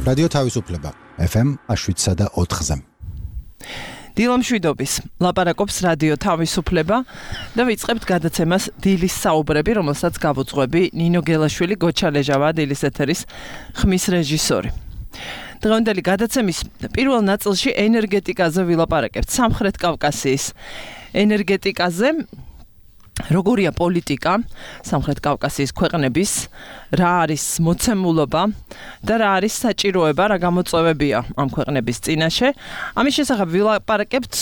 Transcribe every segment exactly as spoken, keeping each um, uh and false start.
რადიო თავისუფლება ეფ ემ შვიდსა და ოთხზე. დილა მშვიდობის ლაპარაკობს რადიო თავისუფლება და ვიწყებთ გადაცემას დილის საუბრები, რომელსაც გავუძღვები ნინო გელაშვილი, გოჩა ლეჟავა, დილის ეთერის ხმის რეჟისორი. დღევანდელი გადაცემის პირველ ნაწილში ენერგეტიკაზე ვილაპარაკებთ. სამხრეთ კავკასიის ენერგეტიკაზე, როგორია პოლიტიკა სამხრეთ კავკასიის ქვეყნების, რა არის მოცემულობა და რა არის საჭიროება, რა გამოწვევებია ამ ქვეყნების წინაშე. ამის შესახებ ვილაპარაკებთ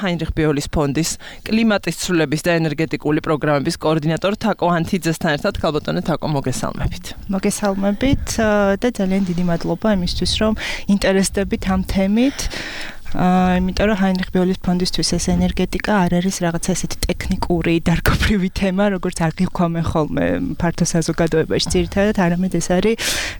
ჰაინრიხ ბიოლის ფონდის კლიმატის ცვლილების და ენერგეტიკული პროგრამების კოორდინატორ თაკო ანთიძესთან ერთად. ქალბატონო თაკო, მოგესალმებით. მოგესალმებით და ძალიან დიდი მადლობა იმისთვის, რომ ინტერესდებით ამ თემით. იმიტომ რომ ჰაინრიხ ბიოლის ფონდისთვის ეს ენერგეტიკა არ არის რაღაცა ესეთი ტექნიკური, დარგობრივი თემა, როგორც აღიქვამენ ხოლმე ფართო საზოგადოებაში ძირითადად, არამედ ეს არის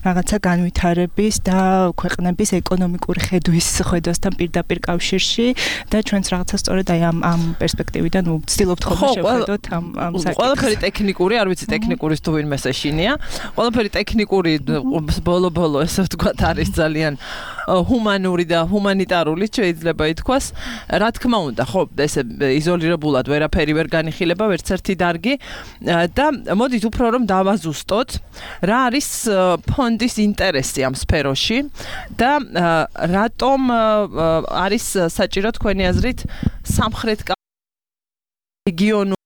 რაღაცა განვითარების და ქვეყნების ეკონომიკური ხედვის ხედვასთან პირდაპირ კავშირში და ჩვენც რაღაცა სწორედ აი ამ ამ პერსპექტივიდან ვცდილობთ ხოლმე შევხედოთ ამ ამ საკითხს. ყველაფერი ტექნიკური, არ ვიცი ტექნიკურის თუ ვინმე ეშინია. ყველაფერი ტექნიკური ბოლო-ბოლო ესე ვთქვათ არის ძალიან ჰუმანური და ჰუმანიტარული შეიძლება ითქვას. რა თქმა უნდა, ხო, ესე იზოლირებულად ვერაფერი ვერ განიხილება, ვერც ერთი დარგი და მოდით უფრო რომ დავაზუსტოთ, რა არის ფონდის ინტერესი ამ სფეროში და რატომ არის საჭირო თქვენი აზრით სამხრეთ რეგიონულ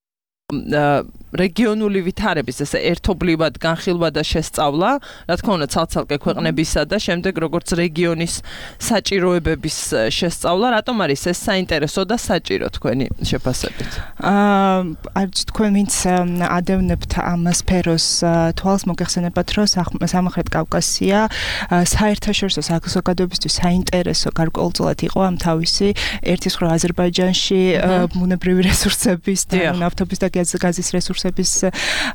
რეგიონული ვითარების ესე ერთობლივად განხილვა და შესწავლა, რა თქმა უნდა, ცალ-ცალკე ქვეყნებისა და შემდეგ როგორც რეგიონის საჭიროებების შესწავლა, რატომ არის ეს საინტერესო და საჭირო თქვენი შეფასებით? აა, არც თქვენ ვინც ადევნებთ ამ სფეროს თვალს, მოგეხსენებათ, რომ სამხრეთ კავკასია საერთაშორისო საზოგადოებისთვის საინტერესო გარკვეულწილად იყო ამ თავისი ერთის მხრივ აზერბაიჯანში ბუნებრივი რესურსების და ნავთობის და გაზის რესურსების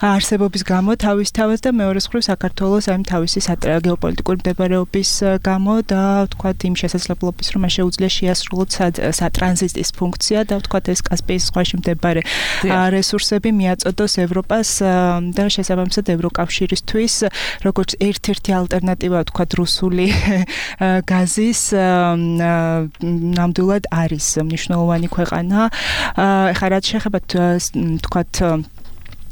არსებობის გამო თავისთავად და მეორეს მხრივ საქართველოს ამ თავისი გეოპოლიტიკური მდებარეობის გამო და ვთქვათ იმ შესაძლებლობის, რომ შეუძლია შეასრულოთ სატრანზიტის ფუნქცია და ვთქვათ ეს კასპიის ზღვაში მდებარე რესურსები მიაწოდოს ევროპას და შესაბამისად ევროკავშირისთვის როგორც ერთ-ერთი ალტერნატივა ვთქვათ რუსული გაზის ნამდვილად არის მნიშვნელოვანი ქვეყანა. ეხლა რაც შეეხება თქვათ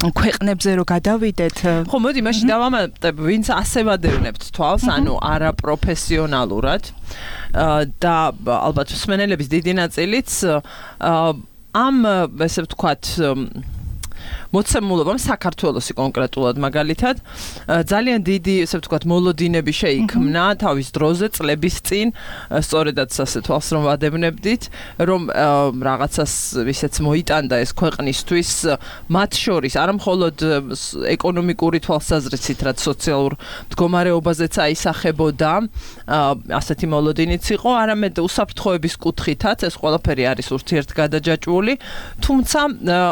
ქვეყნებზე რო გადავიდეთ. ხო, მოდი მაშინ დავამატებ, ვინც ასე ვადევნებთ თვალს, ანუ არაპროფესიონალურად და ალბათ მსმენელების დიდი ნაწილიც ამ ესე ვთქვათ მოცემულობამ საქართველოსი კონკრეტულად მაგალითად ძალიან დიდი ესე ვთქვათ მოლოდინები შეიქმნა თავის დროზე წლების წინ, სწორედაც ასე თვალს რომ ვადევნებდით, რომ რაღაცას ვისეც მოიტანდა ეს ქვეყნისთვის, მათ შორის არა მხოლოდ ეკონომიკური თვალსაზრისით, რაც სოციალურ მდგომარეობაზეც აისახებოდა, ასეთი მოლოდინიც იყო, არამედ უსაფრთხოების კუთხითაც ეს ყველაფერი არის ურთიერთგადაჯაჭვული, თუმცა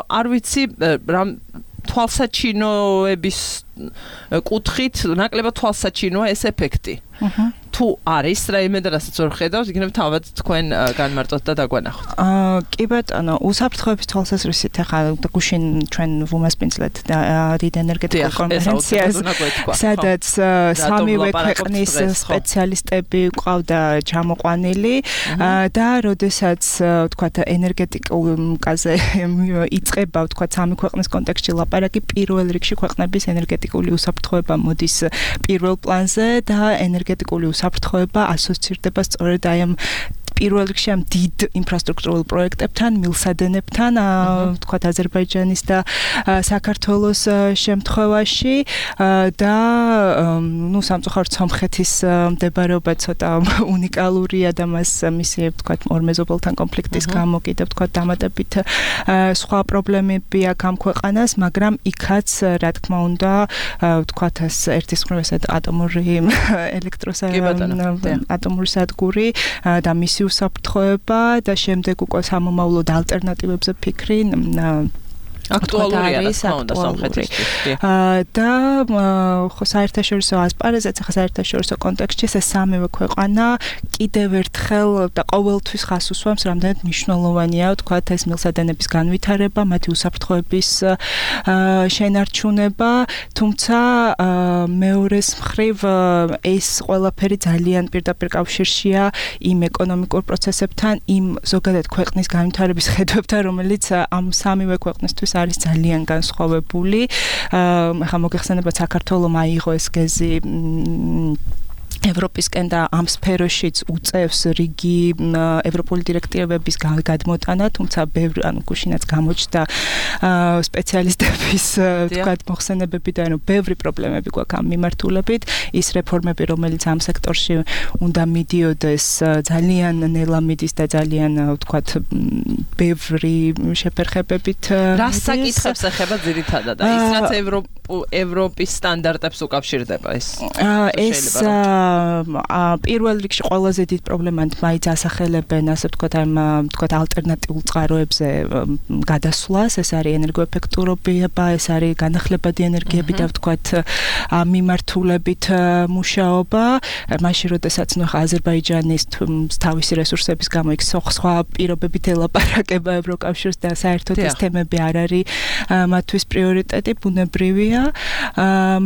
არ ვიცი რა თვალსაჩინოების კუთხით ნაკლებად თვალსაჩინოა ეს ეფექტი. თუ არის რაიმე და რასაც ვერ ხედავთ, იქნებ თავად თქვენ განმარტოთ და დაგვანახოთ. აა კი ბატონო, უსაფრთხოების თვალსაზრისით ახლა გუშინ ჩვენ ვუმასპინძლეთ დიდ ენერგეტიკულ კონფერენციას, სადაც სამივე ქვეყნის სპეციალისტები ყავდა ჩამოყვანილი და როდესაც ვთქვათ ენერგეტიკაზე იწყება ვთქვათ სამი ქვეყნის კონტექსტში ლაპარაკი, პირველ რიგში ქვეყნების ენერგეტიკული უსაფრთხოება მოდის პირველ პლანზე და ენერგეტიკული უსაფრთხოება ასოცირდება სწორედ აი ამ პირველ რიგში ამ დიდ ინფრასტრუქტურულ პროექტებთან, მილსადენებთან, ვთქვათ აზერბაიჯანის და საქართველოს შემთხვევაში და ნუ სამწუხაროდ სომხეთის მდებარეობა ცოტა უნიკალურია და მას მისი ვთქვათ ორმეზობელთან კონფლიქტის გამო კიდევ ვთქვათ დამატებით სხვა პრობლემები აქვს ამ ქვეყანას, მაგრამ იქაც რა თქმა უნდა ვთქვათ ეს ერთის მხრივ ესეთ ატომური ელექტროსადგური ატომური სადგური და მისი უსაფრთხოება და შემდეგ უკვე სამომავლოდ ალტერნატივებზე ფიქრი აქტუალურია რა თქმა უნდა სამხრეთისთვის. და ხო საერთაშორისო ასპარეზზე, ხა საერთაშორისო კონტექსტში ეს სამივე ქვეყანა კიდევ ერთხელ და ყოველთვის ხას უსვამს, რამდენად მნიშვნელოვანია თქვათ ეს მილსადენების განვითარება, მათი უსაფრთხოების შენარჩუნება, თუმცა მეორეს მხრივ ეს ყველაფერი ძალიან პირდაპირ კავშირშია იმ ეკონომიკურ პროცესებთან, იმ ზოგადად ქვეყნის განვითარების ხედვებთან, რომელიც ამ სამივე ქვეყნისთვის არის ძალიან განსხვავებული. ახლა მოგეხსენებათ საქართველოს აიღო ეს გეზი ევროპისკენ და ამ სფეროშიც უწევს რიგი ევროპული დირექტივების გადმოტანა, თუმცა ბევრი ანუ გუშინაც გამოჩნდა სპეციალისტების თქვათ მოხსენებები და ანუ ბევრი პრობლემები გვაქვს ამ მიმართულებით. ის რეფორმები, რომელიც ამ სექტორში უნდა მიდიოდეს, ძალიან ნელა მიდის და ძალიან თქვათ ბევრი შეფერხებებით. რას საკითხებს ეხება ძირითადად? ის რაც ევროპის სტანდარტებს უკავშირდება ეს. ეს პირველ რიგში ყველაზე დიდ პრობლემად მაინც ასახელებენ, ასე ვთქვათ, ამ ვთქვათ ალტერნატიულ წყაროებზე გადასვლას, ეს არის ენერგოეფექტურობა, ეს არის განახლებადი ენერგიები და ვთქვათ ამ მიმართულებით მუშაობა. მაშინ როდესაც ნუ აზერბაიჯანის თავისი რესურსების გამო იქ სხვა პირობებით ელაპარაკება ევროკავშირს და საერთოდ ეს თემები არ არის მათთვის პრიორიტეტი, ბუნებრივია,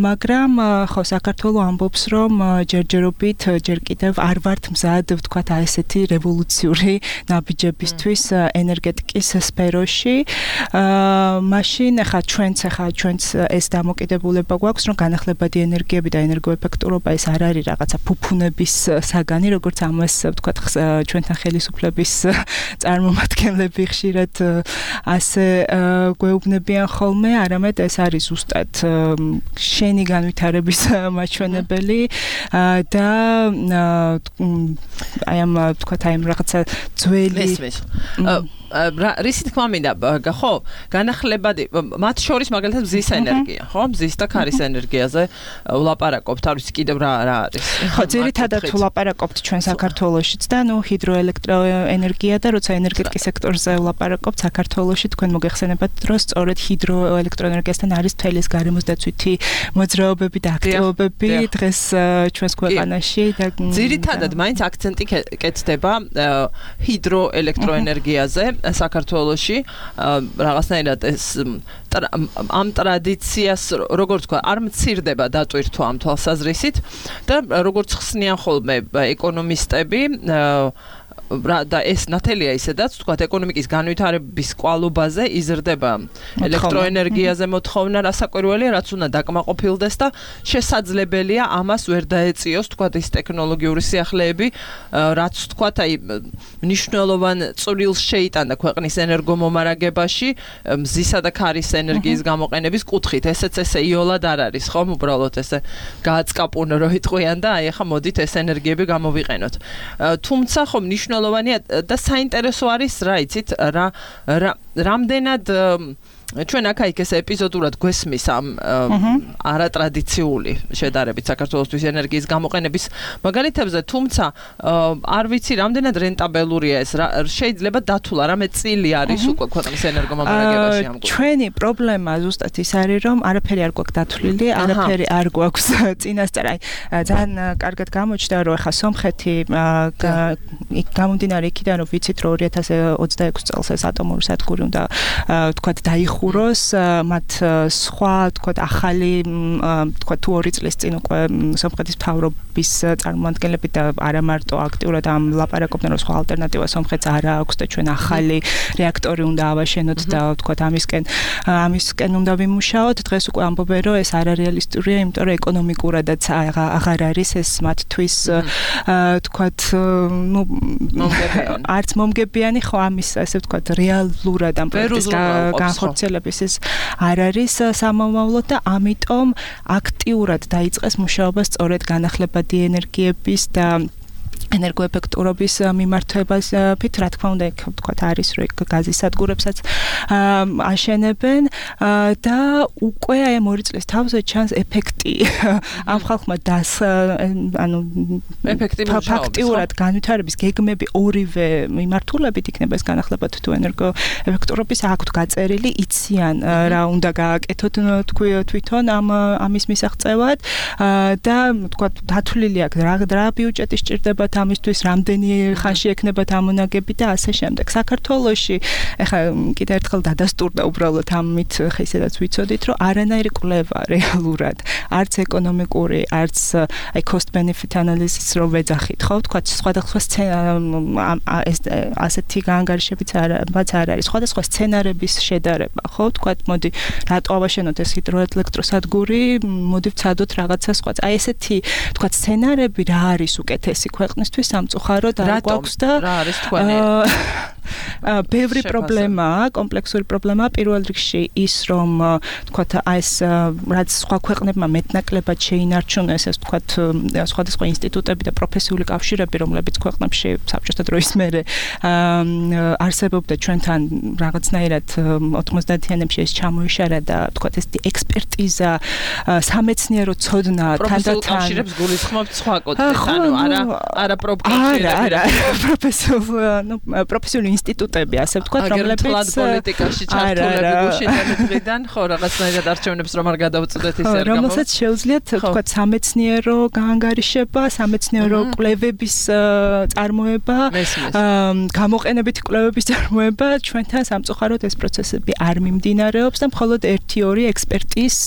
მაგრამ ხო საქართველოს ამბობს, რომ ჯერჯერობით ჯერ კიდევ არ ვართ მზად ვთქვათ აი ესეთი რევოლუციური ნაბიჯებისთვის ენერგეტიკის სფეროში. მაშინ ახლა ჩვენც ახლა ჩვენც ეს დამოკიდებულება გვაქვს, რომ განახლებადი ენერგიები და ენერგოეფექტურობა ეს არ არის რაღაცა ფუფუნების საგანი, როგორც ამას ვთქვათ ჩვენთან ხელისუფლების წარმომადგენლები ხშირად ასე გვეუბნებიან ხოლმე, არამედ ეს არის ზუსტად შენი განვითარების მაჩვენებელი და აი ამ თქვათ აი ამ რაღაცა ძველი რისი თქმა მინდა ხო განახლებადი მათ შორის მაგალითად მზის ენერგია ხო მზის და ქარის ენერგიაზე ვლაპარაკობთ არის კიდევ რა რა არის ხო ძირითადად ვლაპარაკობთ ჩვენ საქართველოშიც და ნუ ჰიდროელექტროენერგია და როცა ენერგეტიკის სექტორზე ვლაპარაკობთ საქართველოში თქვენ მოგეხსენებათ რომ სწორედ ჰიდროელექტროენერგიასთან არის მთელი ეს გარემოსდაცვითი მოძრაობები და აქტივობები დღეს ჩვენს ქვეყანაში და ძირითადად მაინც აქცენტი კეთდება ჰიდროელექტროენერგიაზე საქართველოში რაღაცნაირად ეს ამ ტრადიციას როგორც თქვა არ მცირდება დატვირთვა ამ თვალსაზრისით და როგორც ხსნიან ხოლმე ეკონომისტები და ეს ნათელია ისედაც თქვა ეკონომიკის განვითარების კვალობაზე იზრდება ელექტროენერგიაზე მოთხოვნა რასაკვირველია რაც უნდა დაკმაყოფილდეს და შესაძლებელია ამას ვერ დაეწიოს თქვა ის ტექნოლოგიური სიახლეები რაც თქვა აი მნიშვნელოვან წვრილს შეიტანდა ქვეყნის ენერგომომარაგებაში მზისა და ქარის ენერგიის გამოყენების კუთხით ესეც ესე იოლად არ არის ხომ უბრალოდ ესე გააცკაპუნო რო იტყვიან და აი ახლა მოდით ეს ენერგიები გამოვიყენოთ თუმცა ხომ მნიშვნელოვანია და საინტერესო არის რა იცით რა რამდენად ჩვენ აქ-იქ ეს ეპიზოდურად გვესმის ამ არატრადიციული შედარებით საქართველოსთვის ენერგიის გამოყენების მაგალითებზე, თუმცა არ ვიცი რამდენად რენტაბელურია ეს, შეიძლება დათულა რამე წილი არის უკვე ქვეყნის ენერგომომარაგებაში ამ კუთხით. ჩვენი პრობლემა ზუსტად ის არის, რომ არაფერი არ გვაქვს დათვლილი, არაფერი არ გვაქვს წინასწარ. აი ძალიან კარგად გამოჩნდა, რომ ახლა სომხეთი იქ გამომდინარე იქიდან, რომ ვიცით, რომ ორი ათას ოცდაექვსი წელს ეს ატომური სადგური უნდა თქვათ დაიხუროს მათ სხვა თქვათ ახალი თქვათ თუ ორი წლის წინ უკვე სომხეთის მთავრობის წარმომადგენლები და არა მარტო აქტიურად ამ ლაპარაკობდნენ რომ სხვა ალტერნატივა სომხეთს არ აქვს და ჩვენ ახალი რეაქტორი უნდა ავაშენოთ და თქვათ ამისკენ ამისკენ უნდა ვიმუშაოთ დღეს უკვე ამბობენ რომ ეს არარეალისტურია იმიტომ რომ ეკონომიკურადაც აღარ არის ეს მათთვის თქვათ ნუ არც მომგებიანი ხო ამის ასე ვთქვათ რეალურად ამ პროექტის განხორციელების ეს არ არის სამომავლო და ამიტომ აქტიურად დაიწყეს მუშაობა სწორედ განახლებადი ენერგიების და ენერგოეფექტურობის მიმართებას ფით რა თქმა უნდა იქ ვთქვათ არის რომ იქ გაზის სადგურებსაც აშენებენ და უკვე აი ამ ორი წლის თავზე ჩანს ეფექტი ამ ხალხმა დას ანუ ფაქტიურად განვითარების გეგმები ორივე მიმართულებით იქნება ეს განახლებათ თუ ენერგოეფექტურობის აქვთ გაწერილი იციან რა უნდა გააკეთოთ თქვი თვითონ ამ ამის მისაღწევად და ვთქვათ დათვლილი აქვს რა ბიუჯეტი სჭირდებათ ამისთვის რამდენი ხანში ექნებათ ამონაგები და ასე შემდეგ. საქართველოში ეხლა კიდევ ერთხელ დადასტურდა უბრალოდ ამით ხა ისედაც ვიცოდით რომ არანაირი კვლევა რეალურად არც ეკონომიკური არც აი cost benefit analysis რო ვეძახით ხო ვთქვათ სხვადასხვა ეს ასეთი გაანგარიშებიც არაც არ არის სხვადასხვა სცენარების შედარება ხო ვთქვათ მოდი რატო ავაშენოთ ეს ჰიდროელექტროსადგური მოდი ვცადოთ რაღაცა სხვა აი ესეთი ვთქვათ სცენარები რა არის უკეთესი ქვეყნისთვის სამწუხაროდ არ გვაქვს და რა არის თქვენი ბევრი პრობლემაა, კომპლექსური პრობლემაა პირველ რიგში ის რომ თქვათ ეს რაც სხვა ქვეყნებმა მეტნაკლებად შეინარჩუნეს ეს თქვათ სხვადასხვა ინსტიტუტები და პროფესიული კავშირები რომლებიც ქვეყნებში საბჭოთა დროის მერე არსებობდა ჩვენთან რაღაცნაირად ოთხმოცდაათიანებში ეს ჩამოიშარა და თქვათ ეს ექსპერტიზა სამეცნიერო ცოდნა თანდათან კავშირებს გულისხმობთ სხვა კოდებს ანუ არა არა პროფესიული არა პროფესიული ანუ პროფესიული ინსტიტუტები ასე ვთქვათ რომლებიც თლად პოლიტიკაში ჩართულები გუშინდან ხო რაღაცნაირად არჩევნებს რომ არ გადავწყვეტ ისე არ გამოვა რომელსაც შეუძლიათ ვთქვათ სამეცნიერო გაანგარიშება სამეცნიერო კვლევების წარმოება გამოყენებითი კვლევების წარმოება ჩვენთან სამწუხაროდ ეს პროცესები არ მიმდინარეობს და მხოლოდ ერთი ორი ექსპერტის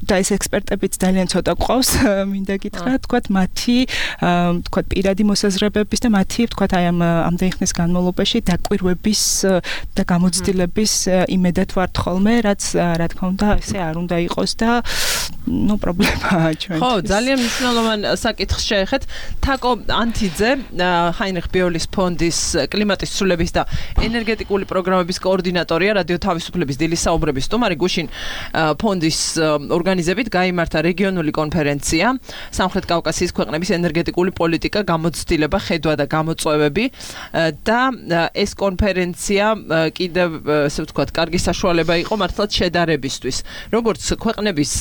და ეს ექსპერტებიც ძალიან ცოტა ყავს მინდა გითხრა ვთქვათ მათი ვთქვათ პირადი მოსაზრებების და მათი ვთქვათ აი ამ ამდენი ხნის განმავლობაში დაკვირვების და გამოცდილების იმედად ვართ ხოლმე, რაც რა თქმა უნდა ესე არ უნდა იყოს და ნუ პრობლემაა ჩვენთვის. ხო, ძალიან მნიშვნელოვანი საკითხს შეეხეთ. თაკო ანთიძე, ჰაინრიხ ბიოლის ფონდის კლიმატის ცვლილების და ენერგეტიკული პროგრამების კოორდინატორია, რადიო თავისუფლების დილის საუბრების სტუმარი გუშინ ფონდის ორგანიზებით გაიმართა რეგიონული კონფერენცია სამხრეთ კავკასიის ქვეყნების ენერგეტიკული პოლიტიკა, გამოცდილება, ხედვა და გამოწვევები და ეს კონფერენცია კიდევ ესე ვთქვათ, კარგი საშუალება იყო მართლაც შედარებისთვის. როგორც ქვეყნების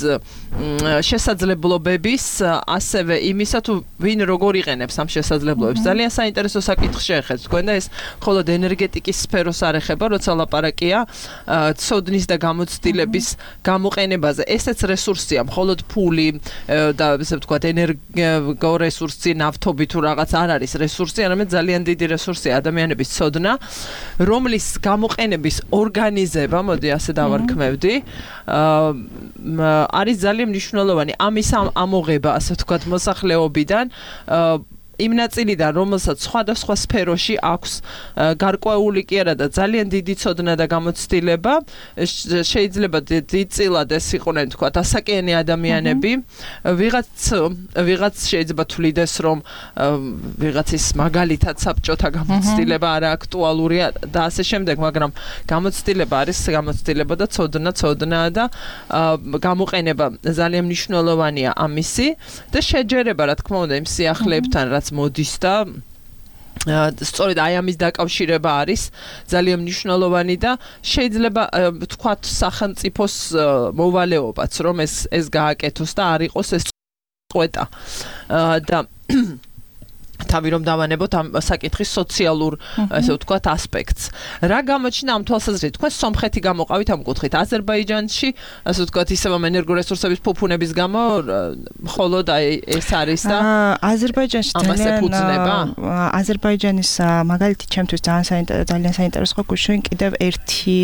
შესაძლებლობების, ასევე იმისა თუ ვინ როგორ იყენებს ამ შესაძლებლობებს. ძალიან საინტერესო საკითხი შეეხეთ თქვენ და ეს მხოლოდ ენერგეტიკის სფეროს არ ეხება, როცა ლაპარაკია ცოდნის და გამოცდილების გამოყენებაზე. ესეც რესურსია, მხოლოდ ფული და ესე ვთქვათ, ენერგორესურსი, ნავთობი თუ რაღაც არ არის რესურსი, არამედ ძალიან დიდი რესურსია ადამიანების ცოდნა, რომლის გამოყენების ორგანიზება, მოდი ასე დავარქმევდი, არის ძალიან მნიშვნელოვანი. ამის ამოღება, ასე ვთქვათ, მოსახლეობიდან იმ ნაწილიდან, რომელსაც სხვადასხვა სფეროში აქვს გარკვეული კი არა და ძალიან დიდი ცოდნა და გამოცდილება, შეიძლება დიდწილად ეს იყვნენ, თქვათ, ასაკიანი ადამიანები, ვიღაც ვიღაც შეიძლება თვლიდეს, რომ ვიღაცის მაგალითად საბჭოთა გამოცდილება არა აქტუალურია და ასე შემდეგ, მაგრამ გამოცდილება არის გამოცდილება და ცოდნა ცოდნაა და გამოყენება ძალიან მნიშვნელოვანია ამისი და შეჯერება, რა თქმა უნდა, იმ სიახლეებთან, რაც მოდის და სწორედ აი ამის დაკავშირება არის ძალიან მნიშვნელოვანი და შეიძლება ვთქვათ სახელმწიფოს მოვალეობაც რომ ეს ეს გააკეთოს და არ იყოს ეს წვეტა და თავი რომ დავანებოთ ამ საკითხის სოციალურ ესე ვთქვათ ასპექტს. რა გამოჩნდა ამ თვალსაზრისით? თქვენ სომხეთი გამოყავით ამ კუთხით. აზერბაიჯანში ასე ვთქვათ ისევ ამ ენერგორესურსების ფუფუნების გამო მხოლოდ აი ეს არის და აზერბაიჯანში ძალიან აზერბაიჯანის მაგალითი ჩემთვის ძალიან საინტერესო გუშინ კიდევ ერთი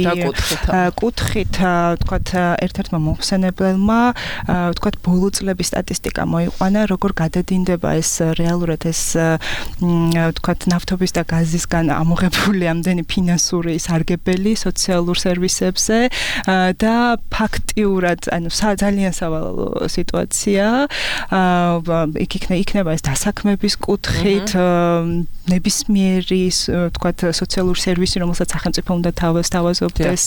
კუთხით ვთქვათ ერთ-ერთმა მომხსენებელმა ვთქვათ ბოლო წლების სტატისტიკა მოიყვანა როგორ გადადინდება ეს რეალურად ეს ვთქვათ ნავთობის და გაზისგან ამოღებული ამდენი ფინანსური სარგებელი სოციალურ სერვისებზე და ფაქტიურად ანუ ძალიან სავალალო სიტუაცია იქ იქნება ეს დასაქმების კუთხით ნებისმიერი ვთქვათ სოციალური სერვისი რომელსაც სახელმწიფო უნდა თავაზობდეს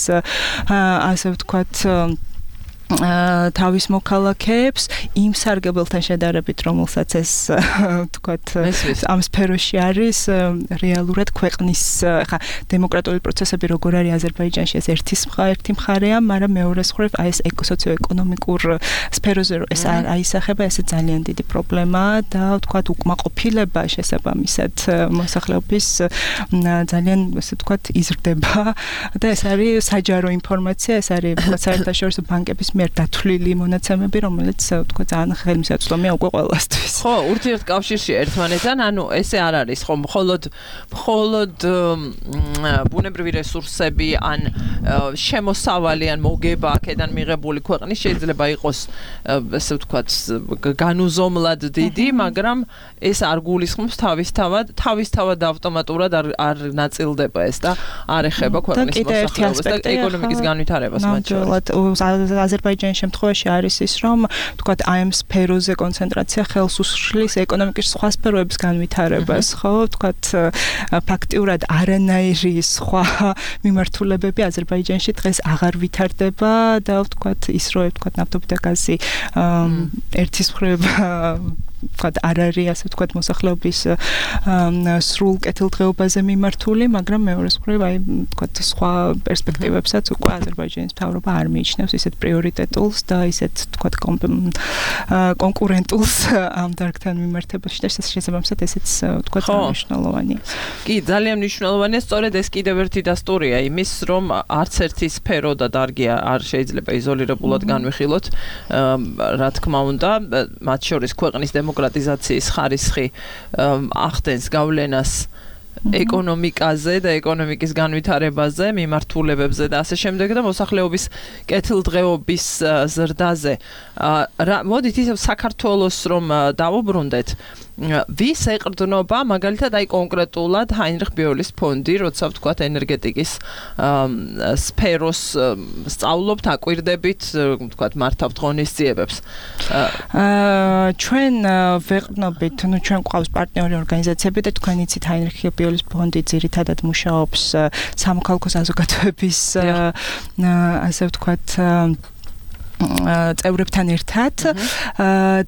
ასე ვთქვათ თავის მოქალაქეებს იმ სარგებელთან შედარებით, რომელსაც ეს თქვათ ამ სფეროში არის რეალურად ქვეყნის ხა დემოკრატიული პროცესები როგორ არის აზერბაიჯანში ეს ერთის ერთი მხარეა, მაგრამ მეორე მხრივ აი ეს ეკოსოციო-ეკონომიკურ სფეროზე ეს აისახება, ეს ძალიან დიდი პრობლემაა და თქვათ უკმაყოფილება შესაბამისად მოსახლეობის ძალიან ესე თქვათ იზრდება და ეს არის საჯარო ინფორმაცია, ეს არის საერთაშორისო ბანკების მიერ დათვლილი მონაცემები, რომელიც თქვა ძალიან ხელმისაწვდომია უკვე ყველასთვის. ხო, ურთიერთკავშირში ერთმანეთთან, ანუ ესე არ არის, ხო, მხოლოდ მხოლოდ ბუნებრივი რესურსები ან შემოსავალი ან მოგება აქედან მიღებული ქვეყნის შეიძლება იყოს ესე ვთქვათ განუზომლად დიდი, მაგრამ ეს არ გულისხმობს თავისთავად, თავისთავად ავტომატურად არ არ ნაწილდება ეს და არ ეხება ქვეყნის მოსახლეობას და ეკონომიკის განვითარებას მათ შორის. აზერბაიჯანის შემთხვევაში არის ის, რომ თქვათ აი ამ სფეროზე კონცენტრაცია ხელს უშლის ეკონომიკის სხვა სფეროების განვითარებას, ხო? თქვათ ფაქტიურად არანაირი სხვა მიმართულებები აზერბაიჯანში დღეს აღარ ვითარდება და თქვათ ის რო თქვათ ნავთობი და გაზი ერთის მხრივ ვთქვათ არ არის ასე ვთქვათ მოსახლეობის სრულ კეთილდღეობაზე მიმართული, მაგრამ მეორე მხრივ აი ვთქვათ სხვა პერსპექტივებსაც უკვე აზერბაიჯანის მთავრობა არ მიიჩნევს ისეთ პრიორიტეტულს და ისეთ ვთქვათ კონკურენტულს ამ დარგთან მიმართებაში და შესაბამისად ესეც ვთქვათ მნიშვნელოვანია. კი, ძალიან მნიშვნელოვანია, სწორედ ეს კიდევ ერთი დასტურია იმის, რომ არც ერთი სფერო და დარგი არ შეიძლება იზოლირებულად განვიხილოთ, რა თქმა უნდა, მათ შორის ქვეყნის დემოკრატიზაციის ხარისხი ახდენს გავლენას ეკონომიკაზე და ეკონომიკის განვითარებაზე, მიმართულებებზე და ასე შემდეგ და მოსახლეობის კეთილდღეობის ზრდაზე. მოდით ისევ საქართველოს რომ დავუბრუნდეთ, ვის ეყრდნობა მაგალითად აი კონკრეტულად ჰაინრიხ ბიოლის ფონდი, როცა ვთქვათ ენერგეტიკის სფეროს სწავლობთ, აკვირდებით, ვთქვათ მართავთ ღონისძიებებს. ჩვენ ვეყრდნობით, ну ჩვენ გვყავს პარტნიორი ორგანიზაციები და თქვენ იცით ჰაინრიხ ბიოლის ფონდი ძირითადად მუშაობს სამოქალაქო საზოგადოების ასე ვთქვათ წევრებთან ერთად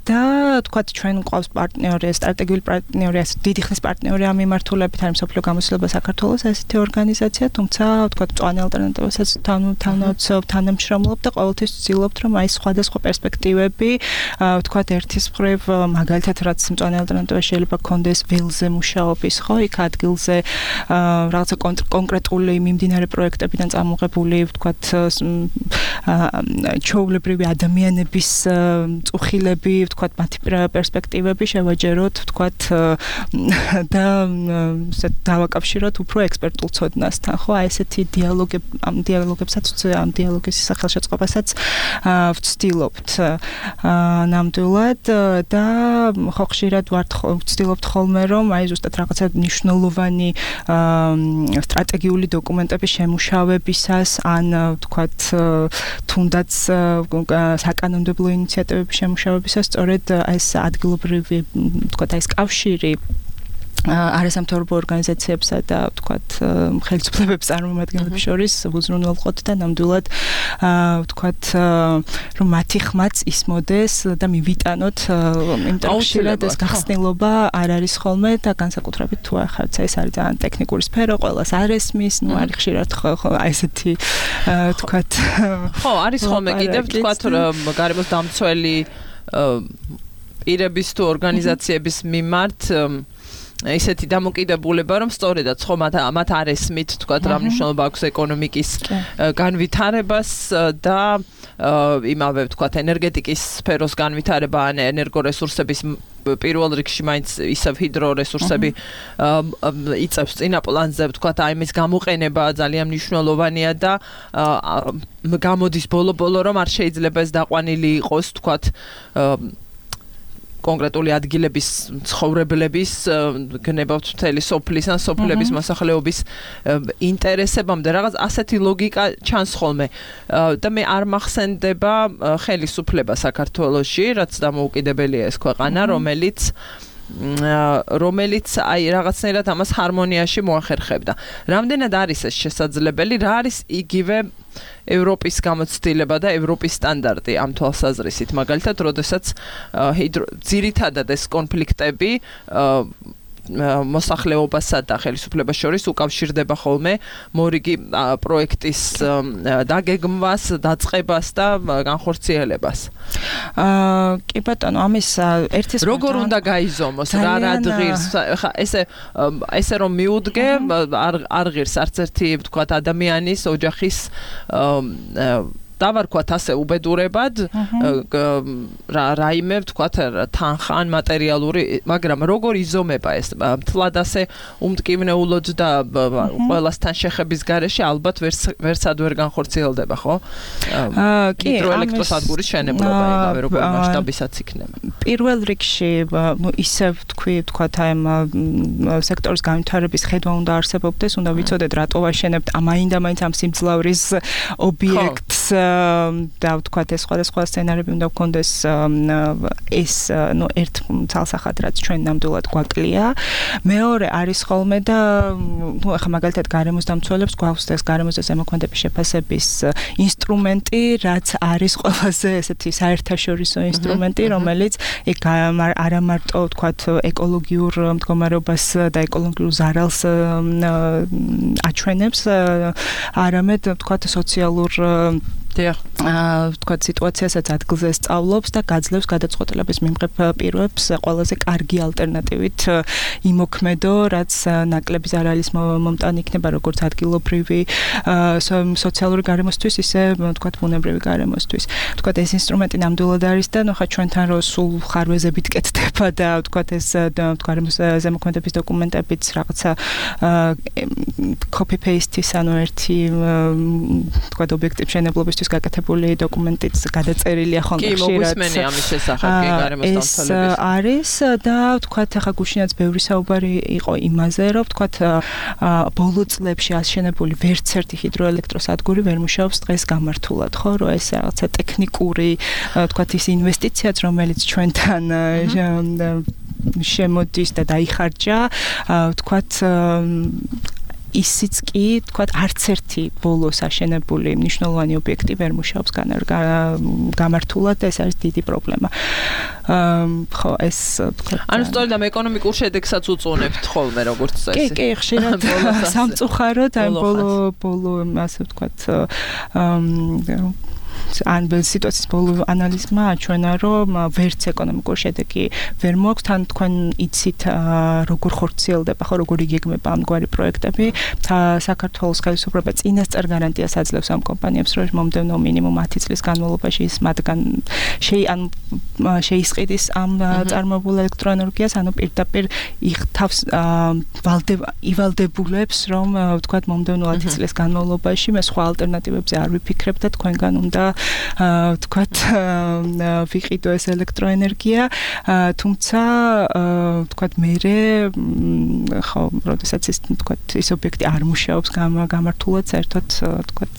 და თქვათ ჩვენ გვყავს პარტნიორი, სტრატეგიული პარტნიორი, დიდი ხნის პარტნიორი ამ მიმართულებით არის მსოფლიო გამოცდილება საქართველოს ასეთი ორგანიზაცია, თუმცა თქვათ მწვანე ალტერნატივასაც თანავცობ, თანამშრომლობ და ყოველთვის ვცდილობთ, რომ აი სხვადასხვა პერსპექტივები, თქვათ ერთის მხრივ მაგალითად რაც მწვანე ალტერნატივა შეიძლება გქონდეს ველზე მუშაობის, ხო, იქ ადგილზე რაღაცა კონკრეტული მიმდინარე პროექტებიდან წამოღებული, ვთქვათ ჩოვლ ბრივი ადამიანების წუხილები, ვთქვათ, მათი პერსპექტივები შევაჯეროთ, ვთქვათ, და დავაკავშიროთ უფრო ექსპერტულ ცოდნასთან, ხო, აი ესეთი დიალოგები, ამ დიალოგებსაც, ამ დიალოგის სახელშეწყობასაც ვცდილობთ ნამდვილად და ხო ხშირად ვართ ვცდილობთ ხოლმე, რომ აი ზუსტად რაღაცა მნიშვნელოვანი სტრატეგიული დოკუმენტების შემუშავებისას ან ვთქვათ, თუნდაც საკანონმდებლო ინიციატივების შემუშავებისას სწორედ ეს ადგილობრივი ვთქვათ ეს კავშირი არასამთავრობო ორგანიზაციებსა და ვთქვათ ხელისუფლებების წარმომადგენლებს შორის უზრუნველყოთ და ნამდვილად ვთქვათ რომ მათი ხმაც ისმოდეს და მივიტანოთ იმიტომ რომ ხშირად ეს გახსნილობა არ არის ხოლმე და განსაკუთრებით თუ ახაც ეს არის ძალიან ტექნიკური სფერო, ყველას არ ესმის, ну არის ხშირად აი ესეთი ვთქვათ ხო არის ხოლმე კიდევ ვთქვათ გარემოს დამცველი პირების თუ ორგანიზაციების მიმართ ისეთი დამოკიდებულება, რომ სწორედაც ხო მათ მათ არ ესმით, თქვათ, რა მნიშვნელობა აქვს ეკონომიკის განვითარებას და იმავე, თქვათ, ენერგეტიკის სფეროს განვითარება, ან ენერგორესურსების პირველ რიგში მაინც ისევ ჰიდრორესურსები იწევს წინა პლანზე, ვთქვათ, აი მის გამოყენება ძალიან მნიშვნელოვანია და გამოდის ბოლო-ბოლო რომ არ შეიძლება ეს დაყვანილი იყოს, ვთქვათ, კონკრეტული ადგილების ცხოვრებლების გნებავთ მთელი სოფლის ან სოფლების მოსახლეობის ინტერესებამდე რაღაც ასეთი ლოგიკა ჩანს ხოლმე და მე არ მახსენდება ხელისუფლება საქართველოში, რაც დამოუკიდებელია ეს ქვეყანა, რომელიც რომელიც აი რაღაცნაირად ამას ჰარმონიაში მოახერხებდა. Რამდენად არის ეს შესაძლებელი? რა არის იგივე ევროპის გამოცდილება და ევროპის სტანდარტი ამ თვალსაზრისით? მაგალითად, როდესაც ძირითადად ეს კონფლიქტები მოსახლეობასა და ხელისუფლებას შორის უკავშირდება ხოლმე მორიგი პროექტის დაგეგმვას, დაწყებას და განხორციელებას. აა კი ბატონო, ამის ერთის როგორ უნდა გაიზომოს, რა რადგირს, ხა ესე ესე რომ მიუდგე, არ არ ღირს არც ერთი ვთქვათ ადამიანის ოჯახის დავარქვათ ასე უბედურებად რა რაიმე ვთქვათ თანხან მატერიალური, მაგრამ როგორ იზომება ეს მთლად ასე უმტკივნეულოდ და ყველასთან შეხების გარეშე ალბათ ვერცად ვერ განხორციელდება, ხო? აა კი, ჰიდროელექტროსადგურის შენებლობა იგივე როგორ მასშტაბისაც იქნება. პირველ რიგში, ნუ ისე ვთქვი, ვთქვათ აი ამ სექტორის განვითარების ხედვა უნდა არსებობდეს, უნდა ვიცოდეთ რატო ვაშენებთ ამაინდა-მაინც ამ სიმძლავრის ობიექტს და ვთქვათ ეს სხვადასხვა სცენარები უნდა გქონდეს ეს ნუ ერთ ცალსახად რაც ჩვენ ნამდვილად გვაკლია. მეორე არის ხოლმე და ნუ ახლა მაგალითად გარემოს დამცველებს გვაქვს ეს გარემოზე ზემოქმედების შეფასების ინსტრუმენტი, რაც არის ყველაზე ესეთი საერთაშორისო ინსტრუმენტი, რომელიც ეგ არა მარტო ვთქვათ ეკოლოგიურ მდგომარეობას და ეკოლოგიურ ზარალს აჩვენებს, არამედ ვთქვათ სოციალურ აა ვთქვათ სიტუაციასაც ადგილზე სწავლობს და გაძლევს გადაწყვეტილების მიმღებ პირებს ყველაზე კარგი ალტერნატივით იმოქმედო, რაც ნაკლები ზარალის მომტანი იქნება როგორც ადგილობრივი სოციალური გარემოსთვის, ისე ვთქვათ ბუნებრივი გარემოსთვის. ვთქვათ ეს ინსტრუმენტი ნამდვილად არის და ნუ ხა ჩვენთან რო სულ ხარვეზებით კეთდება და ვთქვათ ეს გარემოს ზემოქმედების დოკუმენტებიც რაღაცა copy paste-ის ანუ ერთი ვთქვათ ობიექტის მშენებლობის გაკეთებული დოკუმენტიც გადაწერილია ხოლმე ხშირად. კი, მოგისმენი ამის შესახებ, კი, გარემოს დამცველების. ეს არის და ვთქვათ ახლა გუშინაც ბევრი საუბარი იყო იმაზე, რომ ვთქვათ ბოლო წლებში აშენებული ვერც ერთი ჰიდროელექტროსადგური ვერ მუშაობს დღეს გამართულად, ხო, რომ ეს რაღაცა ტექნიკური ვთქვათ ის ინვესტიციაც, რომელიც ჩვენთან შემოდის და დაიხარჯა, ვთქვათ ისიც კი, თქვათ, არც ერთი ბოლოს აშენებული მნიშვნელოვანი ობიექტი ვერ მუშაობს გამართულად და ეს არის დიდი პრობლემა. ხო, ეს თქვათ. ანუ სწორედ ამ ეკონომიკურ შედეგსაც უწუნებთ ხოლმე, როგორც წესი. კი, კი, ხშირად სამწუხაროდ აი ბოლო ბოლო ასე ვთქვათ ან სიტუაციის ბოლო ანალიზმა აჩვენა, რომ ვერც ეკონომიკური შედეგი ვერ მოაქვს, თან თქვენ იცით როგორ ხორციელდება, ხო, როგორ იგეგმება ამგვარი პროექტები. საქართველოს ხელისუფლება წინასწარ გარანტიას აძლევს ამ კომპანიებს, რომ მომდევნო მინიმუმ ათი წლის განმავლობაში ის მათგან შეისყიდის ამ წარმოებულ ელექტროენერგიას, ანუ პირდაპირ იხთავს ივალდებულებს, რომ ვთქვათ მომდევნო ათი წლის განმავლობაში მე სხვა ალტერნატივებზე არ ვიფიქრებ და თქვენგან უნდა ვთქვათ ვიყიდო ეს ელექტროენერგია, თუმცა ვთქვათ მერე ხო, როდესაც ის ვთქვათ ის ობიექტი არ მუშაობს გამართულად, საერთოდ ვთქვათ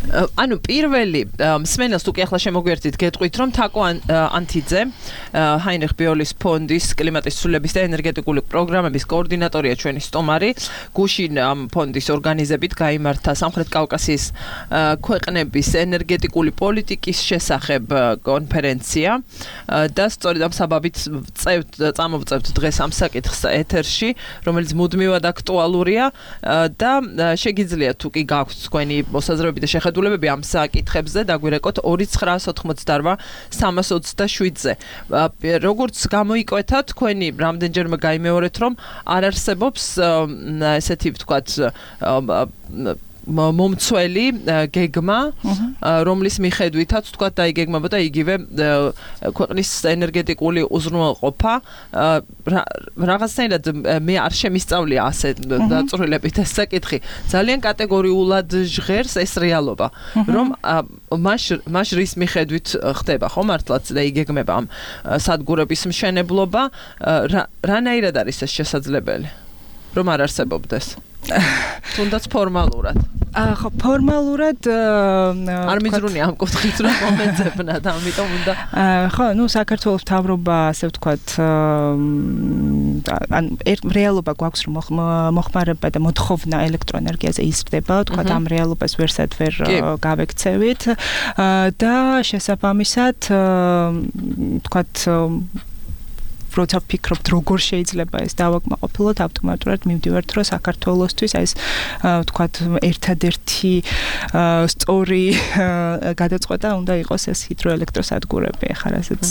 ანუ პირველი მსმენელს თუ კი ახლა შემოგვიერთით გეტყვით, რომ თაკო ანთიძე ჰაინრიხ ბიოლის ფონდის კლიმატის ცვლილების და ენერგეტიკული პროგრამების კოორდინატორია ჩვენი სტომარი. გუშინ ამ ფონდის ორგანიზებით გაიმართა სამხრეთ კავკასიის ქვეყნების ენერგეტიკული პოლიტიკის შესახებ კონფერენცია და სწორედ ამ საბაბით წევთ წამოვწევთ დღეს ამ საკითხს ეთერში, რომელიც მუდმივად აქტუალურია და შეგიძლიათ თუ კი გაქვთ თქვენი მოსაზრებები და შეხედულებები ამ საკითხებზე დაგვირეკოთ ორი ცხრა ოთხმოცდაოთხ სამას ოცდაშვიდზე. როგორც გამოიკვეთა თქვენი რამდენჯერმე გაიმეორეთ, რომ არ არსებობს ესეთი ვთქვათ მომცველი გეგმა, რომლის მიხედვითაც თქვა დაიგეგმებოდა იგივე ქვეყნის ენერგეტიკული უზრუნველყოფა. რაღაცნაირად მე არ შემისწავლია ასე დაწვრილებით ეს საკითხი. ძალიან კატეგორიულად ჟღერს ეს რეალობა, რომ მას მას რის მიხედვით ხდება, ხო, მართლაც და იგეგმება ამ სადგურების მშენებლობა, რანაირად არის ეს შესაძლებელი, რომ არ არსებობდეს? თუნდაც ფორმალურად. ხო, ფორმალურად არ მიზრუნი ამ კუთხით რა მომეძებნათ, ამიტომ უნდა ხო, ну, საქართველოს მთავრობა, ასე ვთქვათ, ან რეალობა გვაქვს, რომ მოხმარება და მოთხოვნა ელექტროენერგიაზე იზრდება, ვთქვათ, ამ რეალობას ვერსად ვერ გავექცევით და შესაბამისად, ვთქვათ, როცა ვფიქრობთ, როგორ შეიძლება ეს დავაკმაყოფილოთ, ავტომატურად მივდივართ, რომ საქართველოსთვის ეს ვთქვათ, ერთადერთი სწორი გადაწყვეტა უნდა იყოს ეს ჰიდროელექტროსადგურები. ახლა რასაც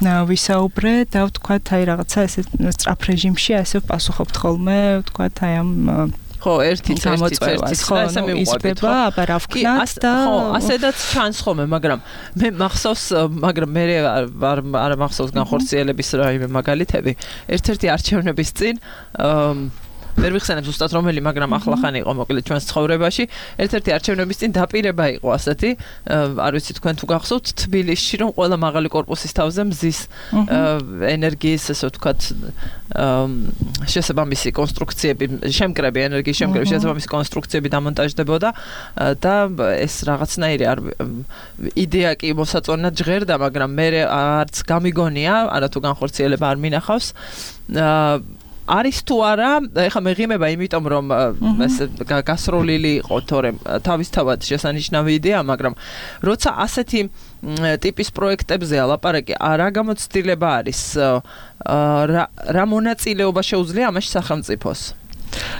ვისაუბრე და ვთქვათ, აი რაღაცა ესე სწრაფ რეჟიმში ასე ვპასუხობთ ხოლმე, ვთქვათ, აი ამ ხო, ერთიც გამოწვევას, ხო, იზრდება, აბა რა ვქნათ და ხო, ასედაც ჩანს ხოლმე, მაგრამ მე მახსოვს, მაგრამ მე არ არ მახსოვს განხორციელების რაიმე მაგალითები. ერთ-ერთი არჩევნების წინ ვერ ვიხსენებ ზუსტად რომელი, მაგრამ ახლახანი იყო მოკლედ ჩვენს ცხოვრებაში. ერთ-ერთი არჩევნების წინ დაპირება იყო ასეთი, არ ვიცი თქვენ თუ გახსოვთ, თბილისში რომ ყველა მაღალი კორპუსის თავზე მზის ენერგიის, ასე ვთქვათ, შესაბამისი კონსტრუქციები, შემკრები, ენერგიის შემკრები, შესაბამისი კონსტრუქციები დამონტაჟდებოდა და ეს რაღაცნაირი არ იდეა კი მოსაწონად ჟღერდა, მაგრამ მე არც გამიგონია, არათუ განხორციელება არ მინახავს. არის თუ არა, ეხლა მეღიმება იმიტომ რომ ეს გასროლილი იყო, თორემ თავისთავად შესანიშნავი იდეა, მაგრამ როცა ასეთი ტიპის პროექტებზე ალაპარაკი, რა გამოცდილება არის, რა მონაწილეობა შეუძლია ამაში სახელმწიფოს?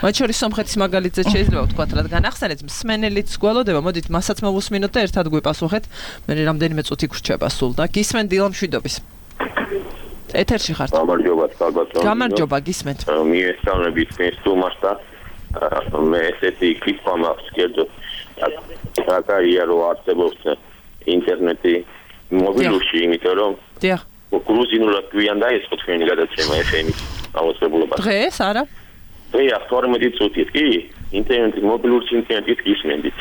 მათ შორის სომხეთის მაგალითზე შეიძლება ვთქვათ, რადგან ახსენეთ, მსმენელიც გველოდება, მოდით მასაც მოვუსმინოთ და ერთად გვიპასუხეთ, მე რამდენიმე წუთი გრჩება სულ და გისმენ დილა მშვიდობის. ეთერში ხართ. გამარჯობა, ალბათ. გამარჯობა, გისმენთ. მიესალმებით მესტუმარს და მე ესეთი კითხვა მაქვს, კერძო. აკარია რო არსებობს ინტერნეტი მობილურში, იმიტომ რომ დიახ. გრუზინულად გვიან დაიწყო თქვენი გადაცემა ეფ ემის აუცილებლობა. დღეს არა? დღეა თორმეტი წუთით, კი? ინტერნეტი მობილური ინტერნეტით გისმენდით.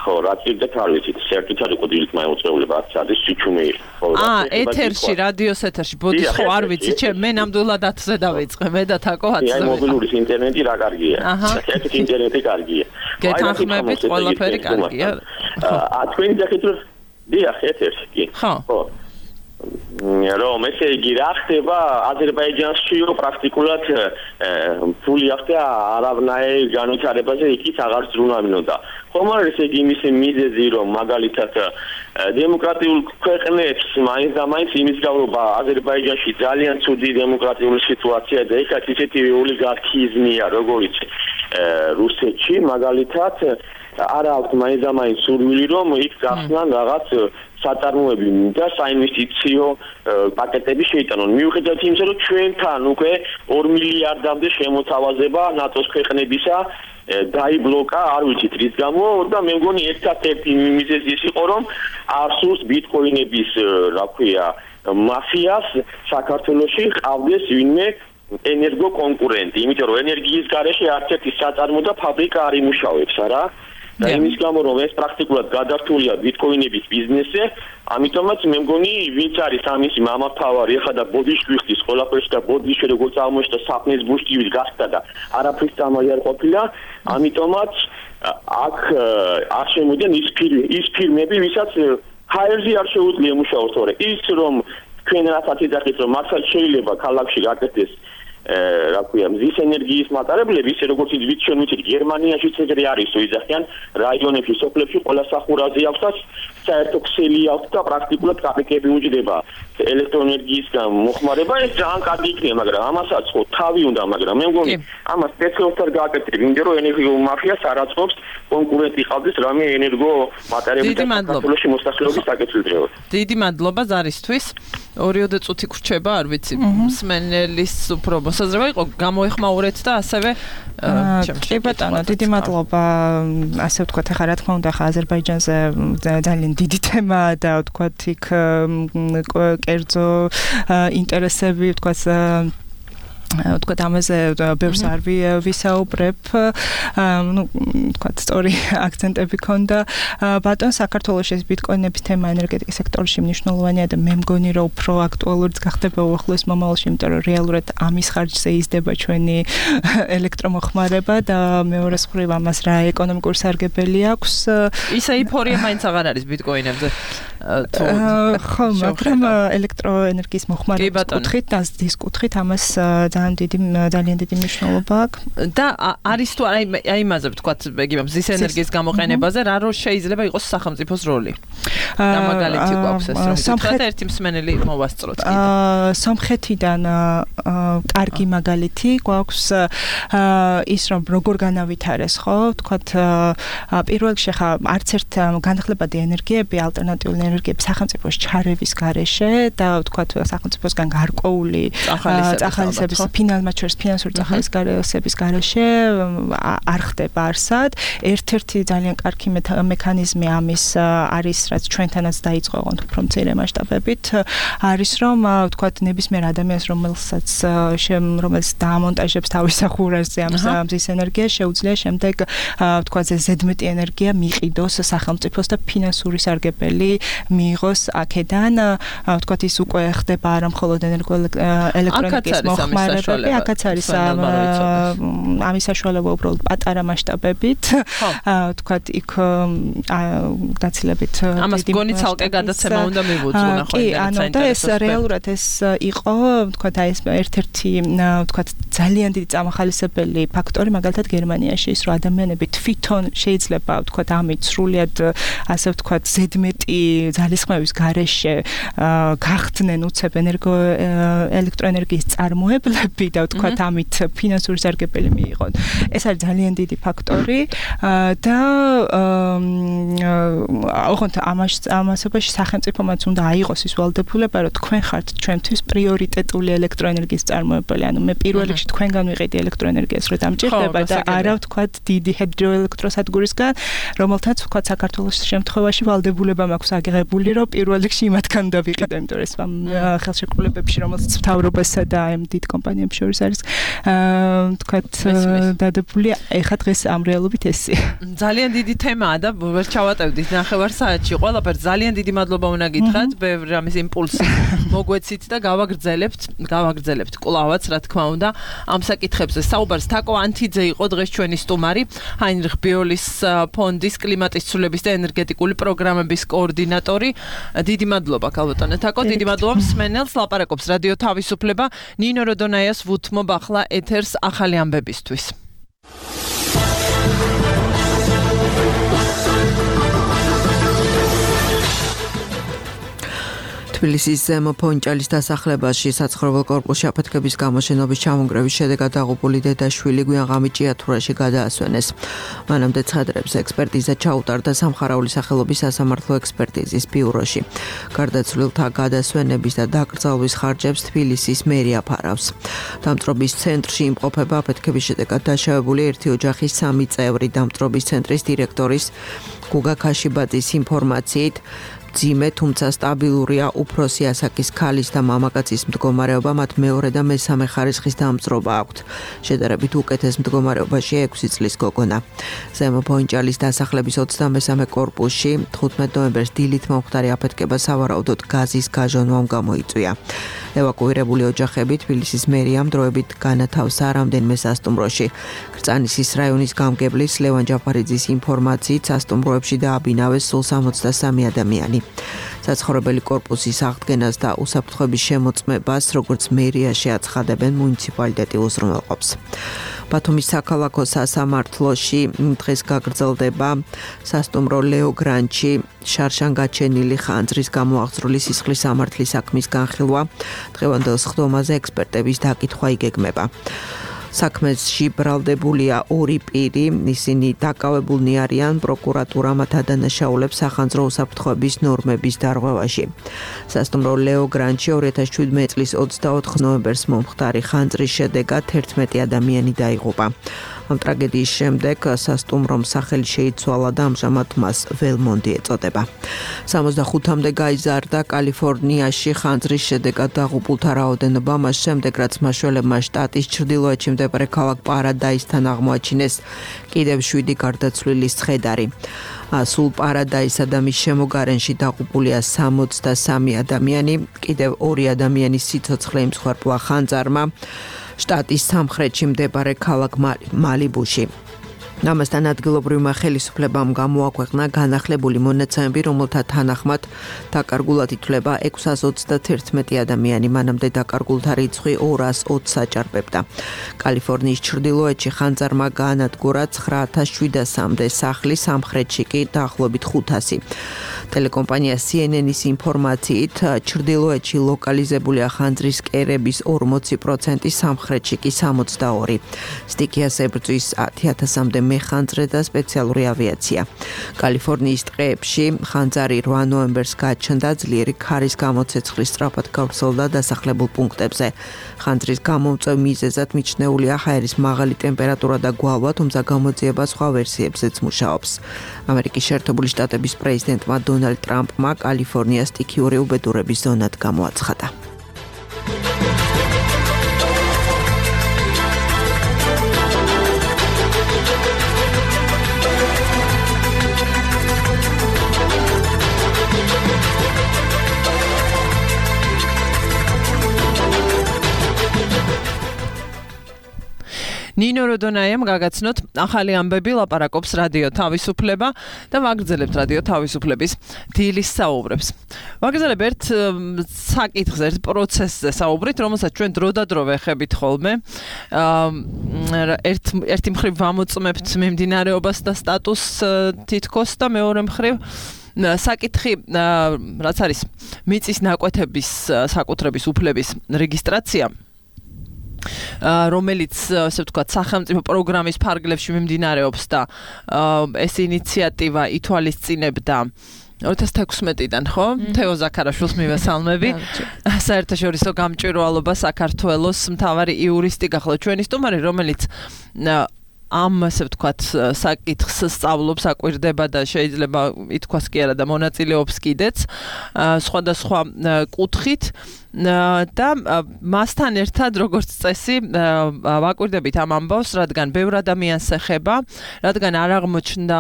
ხო, რა წირდეთ არ ვიცით, საერთოდ იყო დილით მაუწყებლობა აქ არის სიჩუმე იყო. აა, ეთერში, რადიოს ეთერში, ბოდის ხო არ ვიცი, ჩემ მე ნამდვილად ათზე დავიწყე, მე და თაკო ათზე. აი, მობილური ინტერნეტი რა კარგია. საერთოდ ინტერნეტი კარგია. გეთანხმებით, ყველაფერი კარგია. აა, თქვენი დახეთრ დიახ, ეთერში, კი. ხო. რომ ესე იგი რა ხდება აზერბაიჯანშიო პრაქტიკულად ფული ახდა არავნაირ განვითარებაზე იქით აღარ ზრუნავინოდა. ხომ არ ესე იგი იმის მიზეზი რომ მაგალითად დემოკრატიულ ქვეყნებს მაინც და მაინც იმის გავრობა აზერბაიჯანში ძალიან ცუდი დემოკრატიული სიტუაცია და ეხლა ისეთი ოლიგარქიზმია როგორც რუსეთში მაგალითად არა აქვს მაინც და მაინც სურვილი რომ იქ გახსნან რაღაც საწარმოები და საინვესტიციო პაკეტები შეიტანონ. მიუხედავად იმისა, რომ ჩვენთან უკვე ორ მილიარდამდე შემოთავაზება ნატოს ქვეყნებისა დაიბლოკა, არ ვიცით რის გამო და მე მგონი ერთ-ერთი მიზეზი ის იყო, რომ არსუს ბიტკოინების, რა ქვია, მაფიას საქართველოში ყავდეს ვინმე ენერგო კონკურენტი, იმიტომ რომ ენერგიის გარეშე არც ერთი საწარმო და ფაბრიკა არ იმუშავებს, არა? და იმის გამო რომ ეს პრაქტიკულად გადართულია ბიტკოინების ბიზნესზე, ამიტომაც მე მგონი ვინც არის ამისი მამათავარი, ახლა და ბოდიშვილი ხდის ყველაფერში და ბოდიშვილი როგორც აღმოჩნდა საფნის ბუშტივით გახდა და არაფრის წამალი არ ყოფილა, ამიტომაც აქ არ შემოდიან ის ის ფირმები, ვისაც ჰაერზე არ შეუძლია მუშაოს, თორე ის რომ თქვენ რასაც იძახით რომ მართლა შეიძლება ქალაქში გაკეთდეს რა ქვია მზის ენერგიის მატარებლები, ისე როგორც იცით ჩვენ ვიცით გერმანიაში ეგრე არის, რომ იძახიან რაიონებში, სოფლებში ყველა სახურავზე აქვს და საერთო ქსელი აქვს და პრაქტიკულად კაპიკები უჯდება ელექტროენერგიისგან მოხმარება, ეს ძალიან კარგი იქნება, მაგრამ ამასაც ხო თავი უნდა, მაგრამ მე მგონი ამას სპეციალურად გააკეთებ, იმიტომ რომ ენერგიულ მაფიას არ აწყობს კონკურენტი ყავდეს რამე ენერგო მატარებლების საქართველოში მოსახლეობის საკეთილდღეოდ. დიდი მადლობა ზარისთვის. ორიოდე წუთი გრჩება, არ ვიცი, მსმენელის უფრო მოსაზრება იყო, გამოეხმაურეთ და ასევე კი ბატონო, დიდი მადლობა. ასე ვთქვათ, ახლა რა თქმა უნდა, ახლა აზერბაიჯანზე ძალიან დიდი თემაა და ვთქვათ, იქ კერძო ინტერესები, ვთქვათ თქვათ ამაზე ბევრს არ ვისაუბრებ, ну, თქვათ სწორი აქცენტები ქონდა. ბატონ, საქართველოს ეს ბიტკოინების თემა ენერგეტიკის სექტორში მნიშვნელოვანია და მე მგონი, რომ უფრო აქტუალურიც გახდება უახლოეს მომავალში, იმიტომ რომ რეალურად ამის ხარჯზე იზრდება ჩვენი ელექტრომოხმარება და მეორე მხრივ ამას რა ეკონომიკური სარგებელი აქვს. ისა ეიფორია მაინც აღარ არის ბიტკოინებზე. ხო, მაგრამ ელექტროენერგიის მოხმარების კუთხით და ზრდის კუთხით ამას ძალიან დიდი ძალიან დიდი მნიშვნელობა აქვს. და არის თუ არა აი იმაზე ვთქვათ, იგივე მზის ენერგიის გამოყენებაზე რა რო შეიძლება იყოს სახელმწიფოს როლი? და მაგალითი გვაქვს ეს რომ თქვათ ერთი მსმენელი მოვასწროთ კიდე. აა სომხეთიდან კარგი მაგალითი გვაქვს ის რომ როგორ განავითარეს, ხო? თქვათ პირველ რიგში ხა არც ერთ განახლებადი ენერგიები ალტერნატიული ენერგიები სახელმწიფოს ჩარევის გარეშე და ვთქვათ სახელმწიფოსგან გარკვეული წახალისების ფინანსურად შორის ფინანსური წახალისების გარეშე არ ხდება არსად. ერთ-ერთი ძალიან კარგი მექანიზმი ამის არის, რაც ჩვენთანაც დაიწყო ოღონდ უფრო მცირე მასშტაბებით, არის რომ ვთქვათ ნებისმიერ ადამიანს, რომელსაც რომელიც დაამონტაჟებს თავის სახურაზე ამ მზის ენერგიას, შეუძლია შემდეგ ვთქვათ ზედმეტი ენერგია მიყიდოს სახელმწიფოს და ფინანსური სარგებელი მიიღოს აქედან. ვთქვათ ის უკვე ხდება არა მხოლოდ ელექტროენერგიის მოხმარებები, აქაც არის ამის საშუალება უბრალოდ პატარა მასშტაბებით. ვთქვათ იქ გაცილებით ამას გონი ცალკე გადაცემა უნდა მივუძღვნა ხო? კი, ანუ და ეს რეალურად ეს იყო ვთქვათ აი ეს ერთ-ერთი ვთქვათ ძალიან დიდი წამახალისებელი ფაქტორი მაგალითად გერმანიაში ის რომ ადამიანები თვითონ შეიძლება ვთქვათ ამით სრულიად ასე ვთქვათ ზედმეტი ძალისხმევის გარეშე გახდნენ უცებ ენერგო ელექტროენერგიის წარმოებლები და ვთქვათ ამით ფინანსური სარგებელი მიიღონ. ეს არის ძალიან დიდი ფაქტორი და ოღონდ ამასობაში სახელმწიფომაც უნდა აიღოს ის ვალდებულება, რომ თქვენ ხართ ჩვენთვის პრიორიტეტული ელექტროენერგიის წარმოებელი. ანუ მე პირველ რიგში თქვენგან ვიყიდი ელექტროენერგიას, რომ დამჭირდება და არა ვთქვათ დიდი ჰიდროელექტროსადგურისგან, რომელთაც ვთქვათ საქართველოს შემთხვევაში ვალდებულება მაქვს აგიღებული, რომ პირველ რიგში იმათგან უნდა ვიყიდე, იმიტომ რომ ეს ხელშეკრულებებში, რომელსაც მთავრობასა და ამ დიდ კომპანიებს შორის არის ვთქვათ დადებული, ეხლა დღეს ამ რეალობით ესეა. ძალიან დიდი თემაა და ვერ ჩავატევდით ნახევარ საათში. ყველაფერს ძალიან დიდი მადლობა უნდა გითხრათ, ბევრი ამის იმპულსი მოგვეცით და გავაგრძელებთ, გავაგრძელებთ კლავაც, რა თქმა უნდა, ამ საკითხებზე. საუბარს თაკო ანთიძე იყო დღეს ჩვენი სტუმარი, ჰაინრიხ ბიოლის ფონდის კლიმატის ცვლილების და ენერგეტიკული პროგრამების კოორდინატორი. დიდი მადლობა ქალბატონო თაკო, დიდი მადლობა მსმენელს. ლაპარაკობს რადიო თავისუფლება. ნინო როდონაიას ვუთმობ ახლა ეთერს ახალი ამბებისთვის. თბილისის ზემო ფონჭალის დასახლებაში საცხოვრებელ კორპუსში აფეთქების გამო შენობის ჩამონგრევის შედეგად დაღუპული დედაშვილი გვიანღამით ჭიათურაში გადაასვენეს. მანამდე ცხადრებს ექსპერტიზა ჩაუტარდა სამხარაული სახელობის სასამართლო ექსპერტიზის ბიუროში. გარდაცვლილთა გადასვენების და დაკრძალვის ხარჯებს თბილისის მერია ფარავს. დამწრობის ცენტრში იმყოფება აფეთქების შედეგად დაშავებული ერთი ოჯახის სამი წევრი. დამწრობის ცენტრის დირექტორის გუგა ქაშიბაძის ინფორმაციით ძიმე, თუმცა სტაბილურია უფროსი ასაკის ქალის და მამაკაცის მდგომარეობა, მათ მეორე და მესამე ხარისხის დამწრობა აქვთ. შედარებით უკეთეს მდგომარეობაშია ექვსი წლის გოგონა. ზემო ფონჭალის დასახლების ოცდამესამე კორპუსში თხუთმეტ ნოემბერს დილით მომხდარი აფეთქება სავარაუდოდ გაზის გაჟონვამ გამოიწვია. ევაკუირებული ოჯახები თბილისის მერიამ დროებით განათავსა რამდენიმე სასტუმროში. კრწანისის რაიონის გამგებლის ლევან ჯაფარიძის ინფორმაციით სასტუმროებში დააბინავეს სულ სამოცდასამი ადამიანი. საცხოვრებელი კორპუსის აღდგენას და უსაფრთხოების შემოწმებას, როგორც მერიაში აცხადებენ მუნიციპალიტეტი უზრუნველყოფს. ბათუმის საქალაქო სასამართლოში დღეს გაგრძელდება სასტუმრო ლეო გრანჩი შარშან გაჩენილი ხანძრის გამოაღწრული სისხლის სამართლის საქმის განხილვა. დღევანდელ სხდომაზე ექსპერტების დაკითხვა იგეგმება. საქმეში ბრალდებულია ორი პირი, ისინი დაკავებულნი არიან პროკურატურა მათ ადანაშაულებს სახანძრო უსაფრთხოების ნორმების დარღვევაში. სასტუმრო ლეო გრანჩი ორი ათას შვიდმეტი წლის ოცდაოთხ ნოემბერს მომხდარი ხანძრის შედეგად ერთმეტი ადამიანი დაიღუპა. ამ ტრაგედიის შემდეგ სასტუმრომ სახელი შეიცვალა და ამჟამად მას ველმონდი ეწოდება. სამოცდახუთამდე გაიზარდა კალიფორნიაში ხანძრის შედეგად დაღუპულთა რაოდენობა, მას შემდეგ რაც მაშველებმა შტატის ჩრდილოეთში მდებარე ქალაქ პარადაისთან აღმოაჩინეს კიდევ შვიდი გარდაცვლილის ცხედარი. სულ პარადაისსა და მის შემოგარენში დაღუპულია სამოცდასამი ადამიანი, კიდევ ორი ადამიანის სიცოცხლე იმსხვერპლა ხანძარმა შტატის სამხრეთში მდებარე ქალაქ მალიბუში. ამასთან ადგილობრივმა ხელისუფლებამ გამოაქვეყნა განახლებული მონაცემები, რომელთა თანახმად დაკარგულად ითვლება ექვსას ოცდათერთმეტი ადამიანი, მანამდე დაკარგულთა რიცხვი ორას ოცს აჭარბებდა. კალიფორნიის ჩრდილოეთში ხანძარმა გაანადგურა ცხრა ათას შვიდასამდე სახლი, სამხრეთში კი დაახლოებით ხუთასი. ტელეკომპანია C N N-ის ინფორმაციით, ჩრდილოეთში ლოკალიზებულია ხანძრის კერების ორმოცი პროცენტი, სამხრეთში კი სამოცდაორი. სტიქიას ებრძვის ათი ათასამდე მეხანძრე და სპეციალური ავიაცია. კალიფორნიის ტყეებში ხანძარი რვა ნოემბერს გაჩნდა, ძლიერი ქარის გამოცეცხლის სწრაფად გავრცელდა დასახლებულ პუნქტებზე. ხანძრის გამომწვევ მიზეზად მიჩნეულია ჰაერის მაღალი ტემპერატურა და გვალვა, თუმცა გამოძიება სხვა ვერსიებზეც მუშაობს. ამერიკის შეერთებული შტატების პრეზიდენტმა დონალდ ტრამპმა კალიფორნიას სტიქიური უბედურების ზონად გამოაცხადა. ნინო როდონაიამ გაგაცნოთ ახალი ამბები, ლაპარაკობს რადიო თავისუფლება და ვაგრძელებთ რადიო თავისუფლების დილის საუბრებს. ვაგრძელებ ერთ საკითხზე, ერთ პროცესზე საუბრით, რომელსაც ჩვენ დროდადრო ვეხებით ხოლმე. ერთ ერთი მხრივ ვამოწმებთ მიმდინარეობას და სტატუსს თითქოს და მეორე მხრივ საკითხი, რაც არის მიწის ნაკვეთების საკუთრების უფლების რეგისტრაცია, რომელიც ასე ვთქვათ სახელმწიფო პროგრამის ფარგლებში მიმდინარეობს და ეს ინიციატივა ითვალისწინებდა ორი ათას თექვსმეტიდან, ხო? თეო ზაქარაშვილს მივესალმები. საერთაშორისო გამჭვირვალობა საქართველოს მთავარი იურისტი გახლავთ ჩვენი სტუმარი, რომელიც ამ ასე ვთქვათ საკითხს სწავლობს, აკვირდება და შეიძლება ითქვას კი არა და მონაწილეობს კიდეც სხვადასხვა კუთხით და მასთან ერთად როგორც წესი ვაკვირდებით ამ ამბავს, რადგან ბევრ ადამიანს ეხება, რადგან არ აღმოჩნდა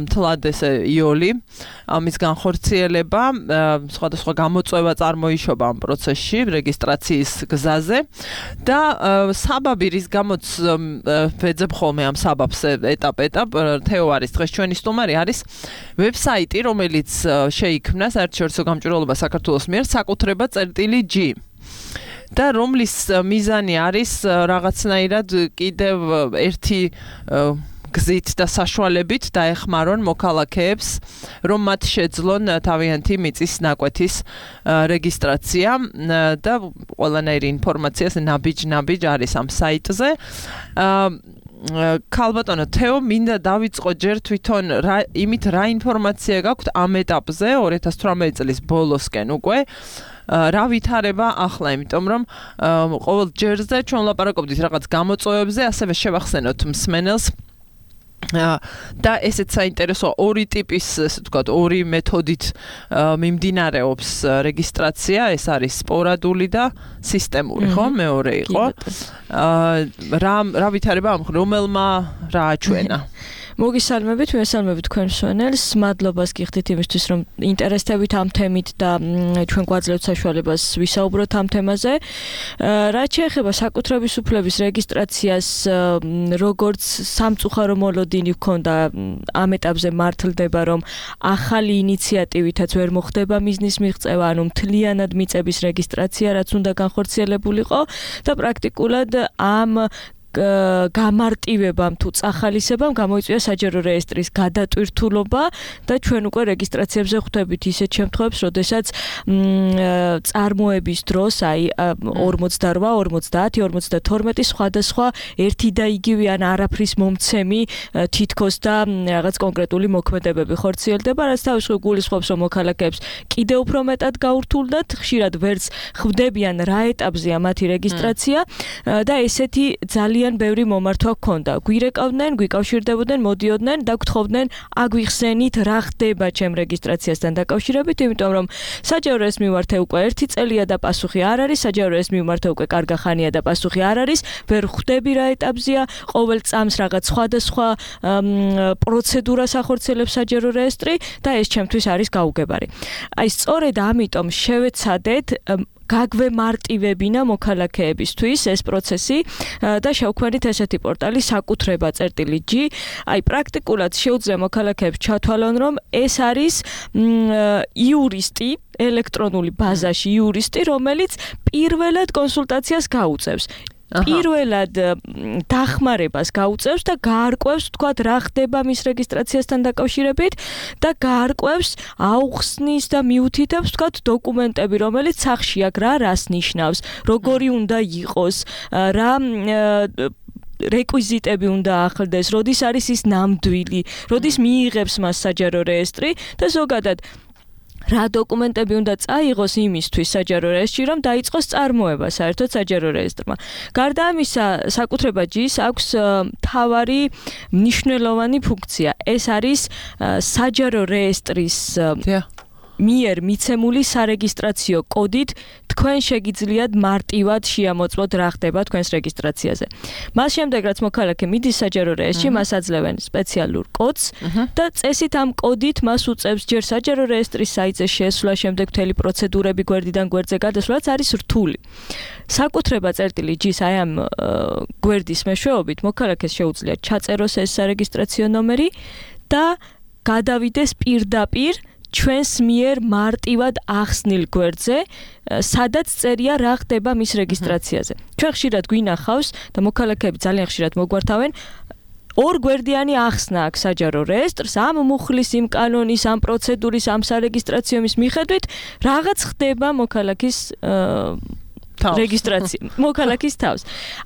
მთლად ესე იოლი ამის განხორციელება, სხვადასხვა გამოწვევა წარმოიშობა ამ პროცესში, რეგისტრაციის გზაზე და საბაბი რის გამოც ვეძებ ხოლმე ამ საბაბს ეტაპ-ეტაპ, თეო არის დღეს ჩვენი სტუმარი, არის ვებსაიტი, რომელიც შეიქმნა საერთაშორისო გამჭვირვალობა საქართველოს მიერ საკუთრება წერტილი G. და რომლის მიზანი არის რაღაცნაირად კიდევ ერთი გზით და საშუალებით დაეხმარონ მოქალაქეებს, რომ მათ შეძლონ თავიანთი მიწის ნაკვეთის რეგისტრაცია და ყველანაირი ინფორმაცია ნაბიჯ-ნაბიჯ არის ამ საიტზე. ქალბატონო თეო, მინდა დავიწყო ჯერ თვითონ იმით რა ინფორმაცია გაქვთ ამ ეტაპზე ორი ათას თვრამეტი წლის ბოლოსკენ უკვე. რა ვითარება ახლა, იმიტომ რომ ყოველ ჯერზე ჩვენ ლაპარაკობდით რაღაც გამოწვევებზე, ასევე შევახსენოთ მსმენელს და ესეც საინტერესოა, ორი ტიპის, ასე ვთქვათ, ორი მეთოდით მიმდინარეობს რეგისტრაცია, ეს არის სპორადული და სისტემური, ხო? მეორე იყო. რა რა ვითარება ამ რომელმა რა აჩვენა? მოგისალმებით, მოგისალმებით თქვენ მსმენელს, მადლობას გიხდით იმისთვის, რომ ინტერესდებით ამ თემით და ჩვენ გვაძლევთ საშუალებას ვისაუბროთ ამ თემაზე. რაც შეეხება საკუთრების უფლების რეგისტრაციას, როგორც სამწუხარო მოლოდინი ჰქონდა ამ ეტაპზე მართლდება, რომ ახალი ინიციატივითაც ვერ მოხდება მიზნის მიღწევა, ანუ მთლიანად მიწების რეგისტრაცია, რაც უნდა განხორციელებულიყო და პრაქტიკულად ამ გამარტივებამ თუ წახალისებამ გამოიწვია საჯარო რეესტრის გადატვირთულობა და ჩვენ უკვე რეგისტრაციებზე ხვდებით ისეთ შემთხვევებს, როდესაც წარმოების დროს, აი ორმოცდარვა, ორმოცდაათი, ორმოცდათორმეტი სხვადასხვა ერთი და იგივე ან არაფრის მომცემი თითქოს და რაღაც კონკრეტული მოქმედებები ხორციელდება, რაც თავისუფლად გულისხმობს, რომ მოქალაქეებს კიდევ უფრო მეტად გაურთულდათ, ხშირად ვერც ხვდებიან რა ეტაპზეა მათი რეგისტრაცია და ესეთი ძალიან ძალიან ბევრი მომართვა გქონდა. გვირეკავდნენ, გვიკავშირდებოდნენ, მოდიოდნენ და გთხოვდნენ აგვიხსენით რა ხდება ჩემ რეგისტრაციასთან დაკავშირებით, იმიტომ რომ საჯარო ეს მიმართე უკვე ერთი წელია და პასუხი არ არის, საჯარო ეს მიმართე უკვე კარგა ხანია და პასუხი არ არის, ვერ ხვდები რა ეტაპზეა, ყოველ წამს რაღაც სხვადასხვა პროცედურას ახორციელებს საჯარო რეესტრი და ეს ჩემთვის არის გაუგებარი. აი სწორედ ამიტომ შევეცადეთ გაგვემარტივებინა მოქალაქეებისთვის ეს პროცესი და შევქმნით ესეთი პორტალი საკუთრება წერტილი ჯი. აი პრაქტიკულად შეუძლია მოქალაქეებს ჩათვალონ, რომ ეს არის იურისტი ელექტრონული ბაზაში იურისტი, რომელიც პირველად კონსულტაციას გაუწევს. პირველად დახმარებას გაუწევს და გაარკვევს, თქვათ, რა ხდება მის რეგისტრაციასთან დაკავშირებით და გაარკვევს, აუხსნის და მიუთითებს, თქვათ, დოკუმენტები, რომელიც სახში აქვს, რა რას ნიშნავს, როგორი უნდა იყოს, რა რეკვიზიტები უნდა ახლდეს, როდის არის ის ნამდვილი, როდის მიიღებს მას საჯარო რეესტრი და ზოგადად რა დოკუმენტები უნდა წაიღოს იმისთვის საჯარო რეესტრში, რომ დაიწყოს წარმოება საერთოდ საჯარო რეესტრმა. გარდა ამისა, საკუთრება ჯის აქვს მთავარი მნიშვნელოვანი ფუნქცია. ეს არის საჯარო რეესტრის მიერ მიცემული სარეგისტრაციო კოდით თქვენ შეგიძლიათ მარტივად შეამოწმოთ რა ხდება თქვენს რეგისტრაციაზე. მას შემდეგ რაც მოქალაქე მიდის საჯარო რეესტრში, მას აძლევენ სპეციალურ კოდს და წესით ამ კოდით მას უწევს ჯერ საჯარო რეესტრის საიტზე შესვლა, შემდეგ მთელი პროცედურები გვერდიდან გვერდზე გადასვლაც არის რთული. საკუთრება წერტილი ჯის აი ამ გვერდის მეშვეობით მოქალაქეს შეუძლია ჩაწეროს ეს სარეგისტრაციო ნომერი და გადავიდეს პირდაპირ ჩვენს მიერ მარტივად ახსნილ გვერდზე, სადაც წერია რა ხდება მის რეგისტრაციაზე. ჩვენ ხშირად გვინახავს და მოქალაქეები ძალიან ხშირად მოგვართავენ ორ გვერდიანი ახსნა აქვს საჯარო რეესტრს, ამ მუხლის, იმ კანონის, ამ პროცედურის, ამ სარეგისტრაციო მის მიხედვით რაღაც ხდება მოქალაქის რეგისტრაცია, მოქალაქის თავს.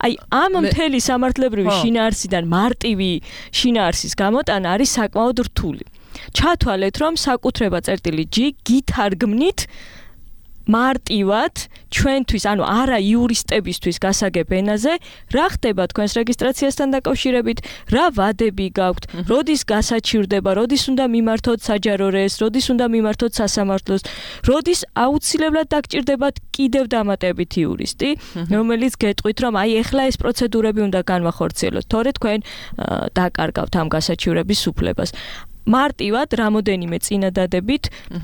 აი ამ მთელი სამართლებრივი შინაარსიდან მარტივი შინაარსის გამოტანა არის საკმაოდ რთული. ჩათვალეთ, რომ საკუთრება წერტილი ჯი გითარგმნით მარტივად ჩვენთვის, ანუ არა იურისტებისთვის გასაგებ ენაზე, რა ხდება თქვენს რეგისტრაციასთან დაკავშირებით, რა ვადები გაქვთ, როდის გასაჩივრდება, როდის უნდა მიმართოთ საჯარო რეესტრს, როდის უნდა მიმართოთ სასამართლოს, როდის აუცილებლად დაგჭირდებათ კიდევ დამატებით იურისტი, რომელიც გეტყვით, რომ აი ეხლა ეს პროცედურები უნდა განვახორციელოთ, თორე თქვენ დაკარგავთ ამ გასაჩივრების უფლებას. მარტივად რამოდენიმე წინადადებით,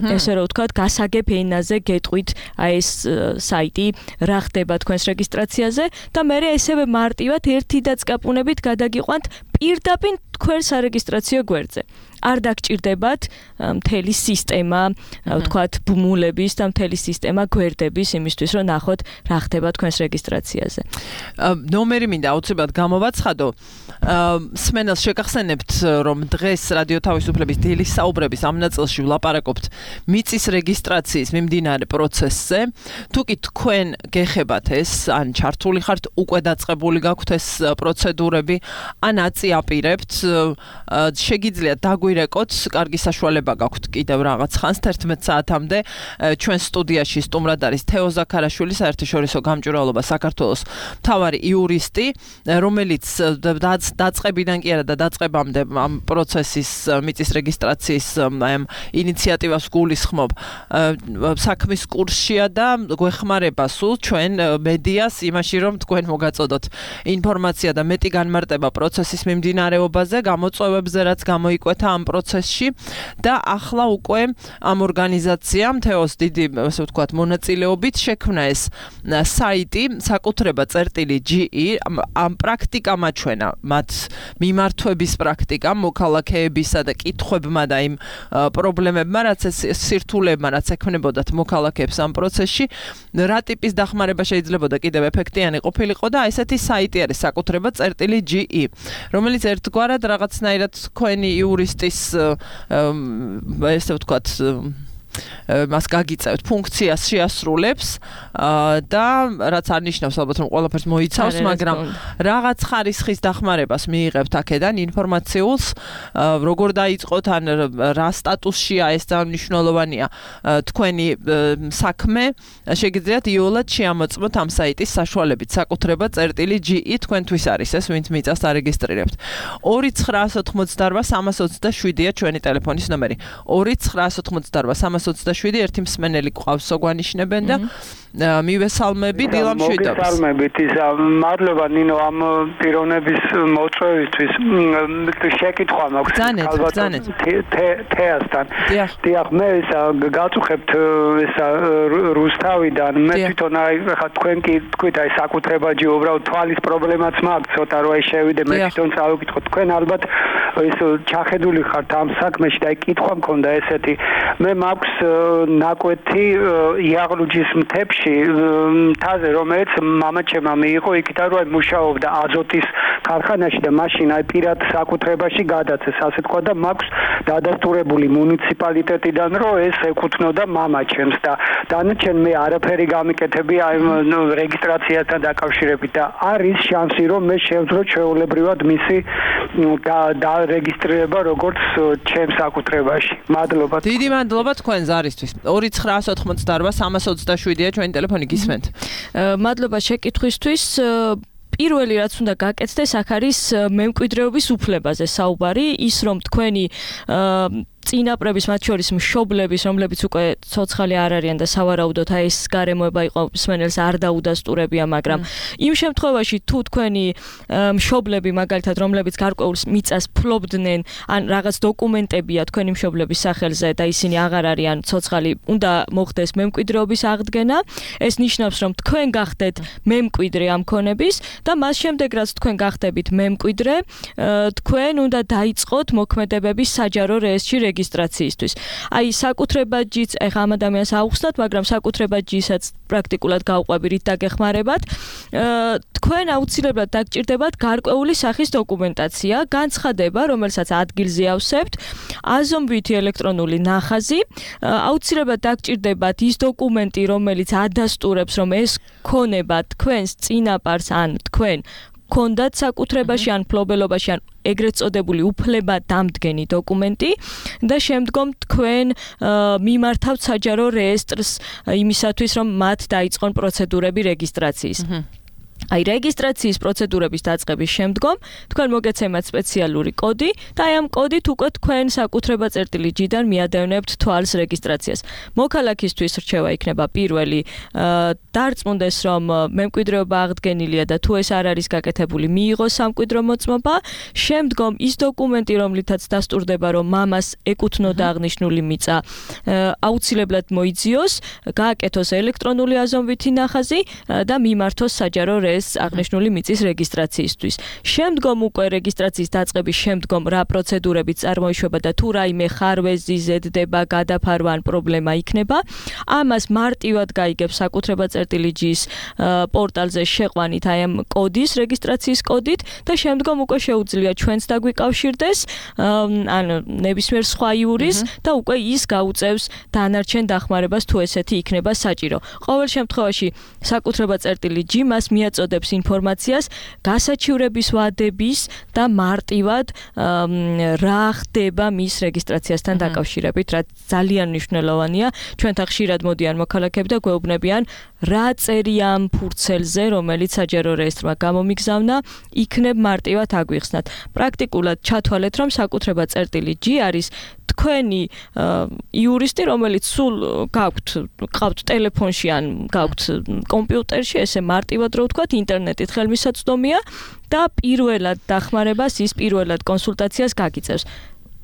ესე რომ ვთქვათ, გასაგებ ენაზე გეტყვით აი ეს საიტი რა ხდება თქვენს რეგისტრაციაზე და მე ესევე მარტივად ერთი დაწკაპუნებით გადაგიყვანთ პირდაპირ თქვენ სარეგისტრაციო გვერდზე. არ დაგჭირდებათ მთელი სისტემა, ვთქვათ, ბმულების და მთელი სისტემა გვერდების იმისთვის, რომ ნახოთ რა ხდება თქვენს რეგისტრაციაზე. ნომერი მინდა აუცილებლად გამოვაცხადო. სმენელს შეგახსენებთ, რომ დღეს რადიო თავისუფლების დილის საუბრების ამ ნაწილში ვლაპარაკობთ მიწის რეგისტრაციის მიმდინარე პროცესზე. თუ კი თქვენ გეხებათ ეს, ან ჩართული ხართ, უკვე დაწყებული გაქვთ ეს პროცედურები, ან აწიაპირებთ, შეგიძლიათ დაგვირეკოთ, კარგი საშუალება გაქვთ კიდევ რაღაც ხანს თერთმეტ საათამდე ჩვენ სტუდიაში სტუმრად არის თეო ზაქარაშვილი, საერთაშორისო გამჭვირვალობა საქართველოს მთავარი იურისტი, რომელიც დაწყებიდან კი არა და დაწყებამდე ამ პროცესის მიწის რეგისტრაციის ამ ინიციატივას გულისხმობ საქმის კურსშია და გვეხმარება სულ ჩვენ მედიას იმაში, რომ თქვენ მოგაწოდოთ ინფორმაცია და მეტი განმარტება პროცესის მიმდინარეობაზე, გამოწვევებზე, რაც გამოიკვეთა ამ პროცესში და ახლა უკვე ამ ორგანიზაციამ თეოს დიდი, ასე ვთქვათ, მონაწილეობით შექმნა ეს საიტი საკუთრება წერტილი ჯი ამ პრაქტიკამ აჩვენა მათ მიმართვების პრაქტიკამ მოქალაქეებისა და კითხვებმა და იმ პრობლემებმა, რაც სირთულებმა, რაც ექმნებოდათ მოქალაქეებს ამ პროცესში, რა ტიპის დახმარება შეიძლებოდა კიდევ ეფექტიანი ყოფილიყო და ესეთი საიტი არის საკუთრება წერტილი ჯი, რომელიც ერთგვარად რაღაცნაირად თქვენი იურისტის ესე ვთქვათ მას გაგიწევთ ფუნქციას შეასრულებს და რაც არ ნიშნავს ალბათ რომ ყველაფერს მოიცავს, მაგრამ რაღაც ხარისხის დახმარებას მიიღებთ აქედან ინფორმაციულს, როგორ დაიწყოთ ან რა სტატუსშია ეს ძალიან მნიშვნელოვანია თქვენი საქმე, შეგიძლიათ იოლად შეამოწმოთ ამ საიტის საშუალებით საკუთრება წერტილი ჯი ი თქვენთვის არის ეს, ვინც მიწას არეგისტრირებთ. ორი ცხრაასი ოცდაოთხი სამას ოცდაშვიდია ჩვენი ტელეფონის ნომერი. ორი ცხრაასი ოცდაოთხი სამას ოცდაშვიდი ერთი მსმენელი ყავს სოგვანიშნებენ და მივესალმები დილამ შვიდობს. მოგესალმებით, მადლობა ნინო ამ პიროვნების მოწვევისთვის. შეკითხვა მაქვს ალბათ თეასთან. დიახ, მე გაწუხებთ ესა რუსთავიდან, მე თვითონ აი ხა თქვენ კი თქვით აი საკუთრებაჯი უბრალოდ თვალის პრობლემაც მაქვს, ცოტა რო აი შევიდე მე თვითონ წავიკითხო თქვენ ალბათ ეს ჩახედული ხართ ამ საქმეში და აი კითხვა მქონდა ესეთი. მე მაქვს ნაკვეთი იაღლუჯის მთებში მთაზე, რომელიც მამაჩემმა მიიღო იქიდან რომ მუშაობდა აზოტის ქარხანაში და მაშინ აი პირად საკუთრებაში გადაცეს, ასე თქვა და მაქვს დადასტურებული მუნიციპალიტეტიდან რომ ეს ეკუთვნოდა მამაჩემს და დანარჩენ მე არაფერი გამიკეთები აი რეგისტრაციასთან დაკავშირებით და არის შანსი რომ მე შევძრო ჩვეულებრივად მისი და რეგისტრირება როგორც ჩემს საკუთრებაში. მადლობა. დიდი მადლობა თქვენ ზარისთვის. ორი ცხრაასი ოცდაოთხი სამას ოცდაშვიდია ჩვენი ტელეფონი გისმენთ. მადლობა შეკითხვისთვის. პირველი რაც უნდა გაკეთდეს, აქ არის მემკვიდრეობის უფლებაზე საუბარი, ის რომ თქვენი წინაპრების, მათ შორის მშობლების, რომლებიც უკვე ცოცხალი არ არიან და სავარაუდოდ აი ეს გარემოება იყო მსმენელს არ დაუდასტურებია, მაგრამ იმ შემთხვევაში თუ თქვენი მშობლები, მაგალითად, რომლებიც გარკვეულ მიწას ფლობდნენ, ან რაღაც დოკუმენტებია თქვენი მშობლების სახელზე და ისინი აღარ არიან ცოცხალი, უნდა მოხდეს მემკვიდრეობის აღდგენა. ეს ნიშნავს, რომ თქვენ გახდეთ მემკვიდრე ამ ქონების და მას შემდეგ, რაც თქვენ გახდებით მემკვიდრე, თქვენ უნდა დაიწყოთ მოქმედებების საჯარო რეესტრში რეგისტრაციისთვის. აი საკუთრებაჯიც ეხა ამ ადამიანს აუხსნათ, მაგრამ საკუთრებაჯისაც პრაქტიკულად გავყვები რით დაგეხმარებათ. თქვენ აუცილებლად დაგჭირდებათ გარკვეული სახის დოკუმენტაცია, განცხადება, რომელსაც ადგილზე ავსებთ, აზომვითი ელექტრონული ნახაზი, აუცილებლად დაგჭირდებათ ის დოკუმენტი, რომელიც ადასტურებს, რომ ეს ქონება თქვენს წინაპარს ან თქვენ კონდათ საკუთრებაში ან ფლობელობაში ან ეგრეთ წოდებული უფლება დამდგენი დოკუმენტი და შემდგომ თქვენ მიმართავთ საჯარო რეესტრს იმისათვის რომ მათ დაიწყონ პროცედურები რეგისტრაციის. აი რეგისტრაციის პროცედურების დაწყების შემდგომ თქვენ მოგეცემათ სპეციალური კოდი და აი ამ კოდით უკვე თქვენ საკუთრება წერტილი ჯიდან მიადევნებთ თვალს რეგისტრაციას. მოქალაქისთვის რჩევა იქნება პირველი დარწმუნდეს რომ მემკვიდრეობა აღდგენილია და თუ ეს არ არის გაკეთებული მიიღოს სამკვიდრო მოწმობა. შემდგომ ის დოკუმენტი რომლითაც დასტურდება რომ მამას ეკუთვნოდა აღნიშნული მიწა აუცილებლად მოიძიოს, გააკეთოს ელექტრონული აზომვითი ნახაზი და მიმართოს საჯარო ეს აღნიშნული მიწის რეგისტრაციისთვის. შემდგომ უკვე რეგისტრაციის დაწყების შემდგომ რა პროცედურებიც წარმოიშვება და თუ რაიმე ხარვეზი ზედდება, გადაფარვა ან პრობლემა იქნება, ამას მარტივად გაიგებს საკუთრება წერტილი ჯის პორტალზე შეყვანით აი ამ კოდის, რეგისტრაციის კოდით და შემდგომ უკვე შეუძლია ჩვენც დაგვიკავშირდეს ან ნებისმიერ სხვა იურის და უკვე ის გაუწევს დანარჩენ დახმარებას თუ ესეთი იქნება საჭირო. ყოველ შემთხვევაში საკუთრება წერტილი ჯი მას მიაწოდებს ინფორმაციას გასაჩივრების ვადების და მარტივად რა ხდება მის რეგისტრაციასთან დაკავშირებით, რაც ძალიან მნიშვნელოვანია. ჩვენთან ხშირად მოდიან მოქალაქეები და გვეუბნებიან რა წერია ამ ფურცელზე, რომელიც საჯარო რეესტრმა გამომიგზავნა, იქნებ მარტივად აგვიხსნათ. პრაქტიკულად ჩათვალეთ, რომ საკუთრება წერტილი ჯი არის თქვენი იურისტი, რომელიც სულ გაქვთ, ყავთ ტელეფონში ან გაქვთ კომპიუტერში, ესე მარტივად რო ვთქვათ, ინტერნეტით ხელმისაწვდომია და პირველად დახმარებას, ის პირველად კონსულტაციას გაგიწევს.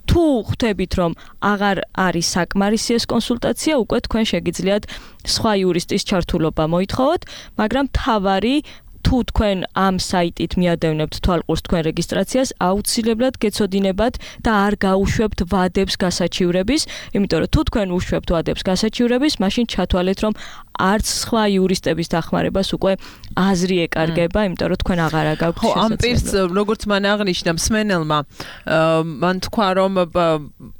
თუ ხვდებით, რომ აღარ არის საკმარისი ეს კონსულტაცია, უკვე თქვენ შეგიძლიათ სხვა იურისტის ჩართულობა მოითხოვოთ, მაგრამ თავარი თუ თქვენ ამ საიტით მიადევნებთ თვალყურს თქვენ რეგისტრაციას, აუცილებლად გეცოდინებათ და არ გაუშვებთ ვადებს გასაჩივრების, იმიტომ რომ თუ თქვენ უშვებთ ვადებს გასაჩივრების, მაშინ ჩათვალეთ, რომ არც სხვა იურისტების დახმარებას უკვე აზრი ეკარგება, იმიტომ რომ თქვენ აღარა გაქვთ შესაძლებლობა. ხო, ამ პირს როგორც მან აღნიშნა მსმენელმა, მან თქვა, რომ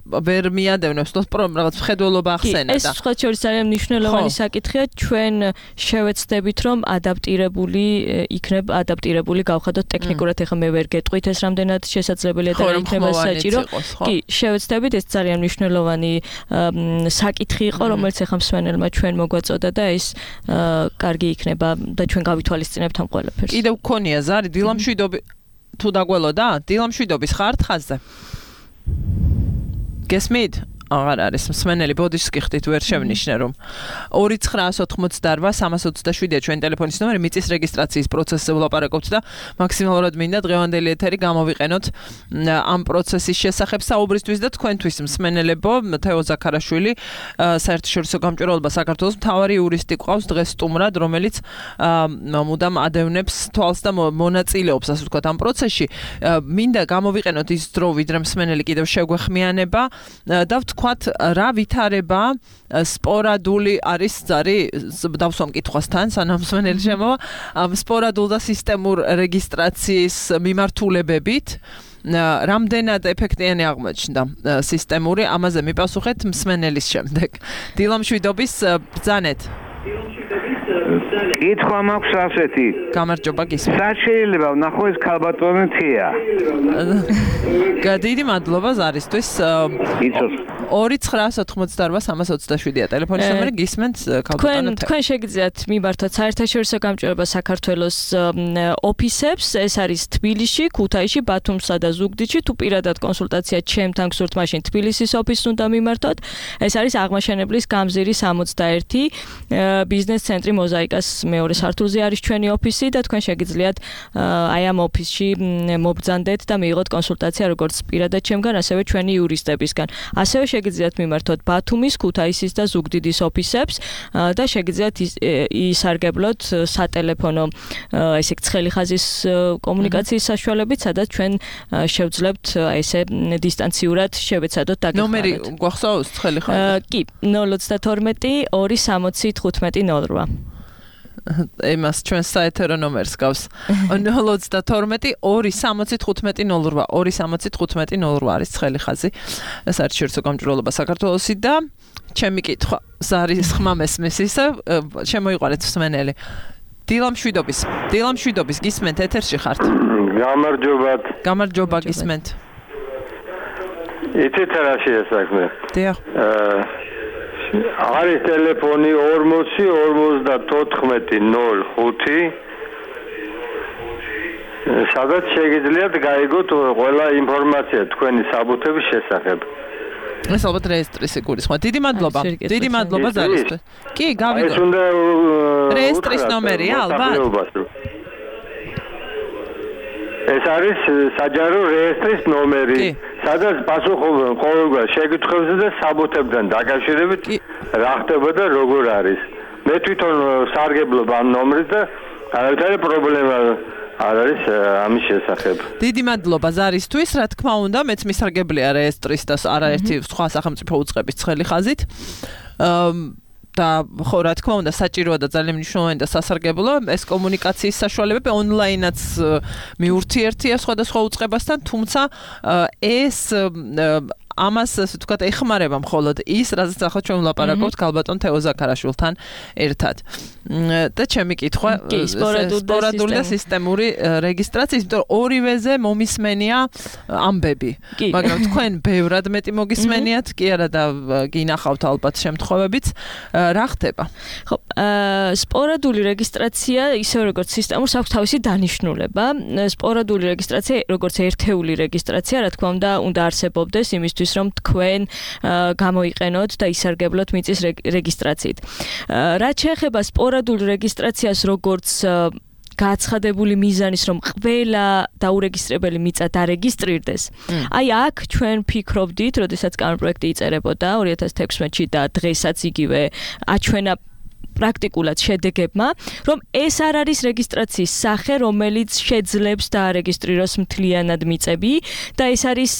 ვერ მიადევნებს თქოს რაღაც მხედველობა ახსენა და ეს სხვა შორის ძალიან მნიშვნელოვანი საკითხია ჩვენ შევეცდებით რომ ადაპტირებული იქნებ ადაპტირებული გავხადოთ ტექნიკურად ეხლა მე ვერ გეტყვით ეს რამდენად შესაძლებელია და იქნება საჭირო კი შევეცდებით ეს ძალიან მნიშვნელოვანი საკითხი იყო რომელიც ეხლა მსმენელმა ჩვენ მოგვაწოდა და ეს კარგი იქნება და ჩვენ გავითვალისწინებთ ამ ყველაფერს კიდევ გქონია ზარი დილამშვიდობი თუ დაგველოდა დილამშვიდობის ხართ ხაზზე გესმით აღარ არის მსმენელი ბოდიშს გიხდით ვერ შევნიშნე რომ ორი ცხრაას ოთხმოცდარბა სამას ოცდაშვიდია ჩვენი ტელეფონის ნომერი მიწის რეგისტრაციის პროცესზე ვლაპარაკობთ და მაქსიმალურად მინდა დღევანდელი ეთერი გამოვიყენოთ ამ პროცესის შესახებ საუბრისთვის და თქვენთვის მსმენელებო თეო ზაქარაშვილი საერთაშორისო გამჭვირვალობა საქართველოს მთავარი იურისტი ყავს დღეს სტუმრად რომელიც მუდამ ადევნებს თვალს და მონაწილეობს ასე ვთქვათ ამ პროცესში მინდა გამოვიყენოთ ის დრო ვიდრე მსმენელი კიდევ შეგვეხმიანება და ვთქვათ რა ვითარება სპორადული არის ზარი დავსვამ კითხვასთან სანამ მსმენელი შემოვა სპორადულ და სისტემურ რეგისტრაციის მიმართულებებით რამდენად ეფექტიანი აღმოჩნდა სისტემური ამაზე მიპასუხეთ მსმენელის შემდეგ დილამშვიდობის ბრძანეთ კითხვა მაქვს ასეთი გამარჯობა გისმენთ რა შეიძლება ვნახო ეს ქალბატონი თია დიდი მადლობა ზარისთვის ორი ცხრაას ოთხმოცდაარბა სამას ოცდაშვიდია ტელეფონის ნომერი გისმენთ ქალბატონო თქვენ თქვენ შეგიძლიათ მიმართოთ საერთაშორისო გამჭვირვალობა საქართველოს ოფისებს ეს არის თბილისში ქუთაისში ბათუმსა და ზუგდიდში თუ პირადად კონსულტაცია ჩემთან გსურთ მაშინ თბილისის ოფისს უნდა მიმართოთ ეს არის აღმაშენებლის გამზირი სამოცდაერთი ბიზნეს ცენტრი მოზაიკას მეორე სართულზე არის ჩვენი ოფისი და თქვენ შეგიძლიათ აი ამ ოფისში მობრძანდეთ და მიიღოთ კონსულტაცია როგორც პირადად ჩემგან ასევე ჩვენი იურისტებისგან ასევე შეგიძლიათ მიმართოთ ბათუმის, ქუთაისის და ზუგდიდის ოფისებს და შეგიძლიათ ისარგებლოთ სატელეფონო ესე ცხელი ხაზის კომუნიკაციის საშუალებით, სადაც ჩვენ შევძლებთ ესე დისტანციურად შევეცადოთ დაგეხმაროთ. ნომერი გვახსოვს ცხელი ხაზი? კი, ნოლ ოცდათორმეტი ორი სამოცი თხუთმეტი ნოლ რვა. ემას ჩვენ საეთერო ნომერს გავს ნოლ ოცდათორმეტი ორი სამოცი თხუთმეტი ნოლ რვა ორი სამოცი თხუთმეტი ნოლ რვა არის ცხელი ხაზი საერთაშორისო გამჭვირვალობა საქართველოსი და ჩემი კითხვა ზარის ხმა მესმის ისე შემოიყვანეთ მსმენელი დილამშვიდობის დილამშვიდობის გისმენთ ეთერში ხართ გამარჯობათ გამარჯობა გისმენთ იცით რა შეესაქმე დიახ არის ტელეფონი ორმოცი ორმოცდათოთხმეტი ნოლ ხუთი სადაც შეგიძლიათ გაიგოთ ყველა ინფორმაცია თქვენი საბუთების შესახებ ეს ალბათ რეესტრის იგულისხმება. დიდი მადლობა. დიდი მადლობა ზარისთვის. კი, გავიგო. ეს უნდა რეესტრის ნომერია ალბათ. ეს არის საჯარო რეესტრის ნომერი. სადაც პასუხობენ ყოველგვარ შეკითხვებზე და საბუთებთან დაკავშირებით რა ხდება და როგორ არის. მე თვითონ სარგებლობ ამ ნომრით და არავითარი პრობლემა არ არის ამის შესახებ. დიდი მადლობა ზარისთვის, რა თქმა უნდა, მეც მისარგებლია რეესტრის და არაერთი სხვა სახელმწიფო უწყების ცხელი ხაზით. და ხო რა თქმა უნდა საჭიროა და ძალიან მნიშვნელოვანი და სასარგებლო ეს კომუნიკაციის საშუალებები ონლაინაც მიურთიერთია სხვადასხვა უწყებასთან, თუმცა ეს ამას ასე ვთქვათ ეხმარება მხოლოდ ის, რაზეც ახლა ჩვენ ვლაპარაკობთ ქალბატონ თეო ზაქარაშვილთან ერთად. და ჩემი კითხვა სპორადული და სისტემური რეგისტრაციის, იმიტომ რომ ორივეზე მომისმენია ამბები. მაგრამ თქვენ ბევრად მეტი მოგისმენიათ, კი არა და გინახავთ ალბათ შემთხვევებიც. რა ხდება? ხო, სპორადული რეგისტრაცია ისე როგორც სისტემურს აქვს თავისი დანიშნულება. სპორადული რეგისტრაცია როგორც ერთეული რეგისტრაცია, რა თქმა უნდა, უნდა არსებობდეს იმისთვის რომ თქვენ გამოიყენოთ და ისარგებლოთ მიწის რეგისტრაციით. რაც შეეხება სპორადულ რეგისტრაციას როგორც გაცხადებული მიზანის რომ ყველა დაურეგისტრებელი მიწა დარეგისტრირდეს. აი აქ ჩვენ ფიქრობდით, როდესაც კანონპროექტი იწერებოდა ორი ათას თექვსმეტში და დღესაც იგივე აჩვენა პრაქტიკულად შედეგებმა, რომ ეს არ არის რეგისტრაციის სახე, რომელიც შეძლებს დაარეგისტრიროს მთლიანად მიწები და ეს არის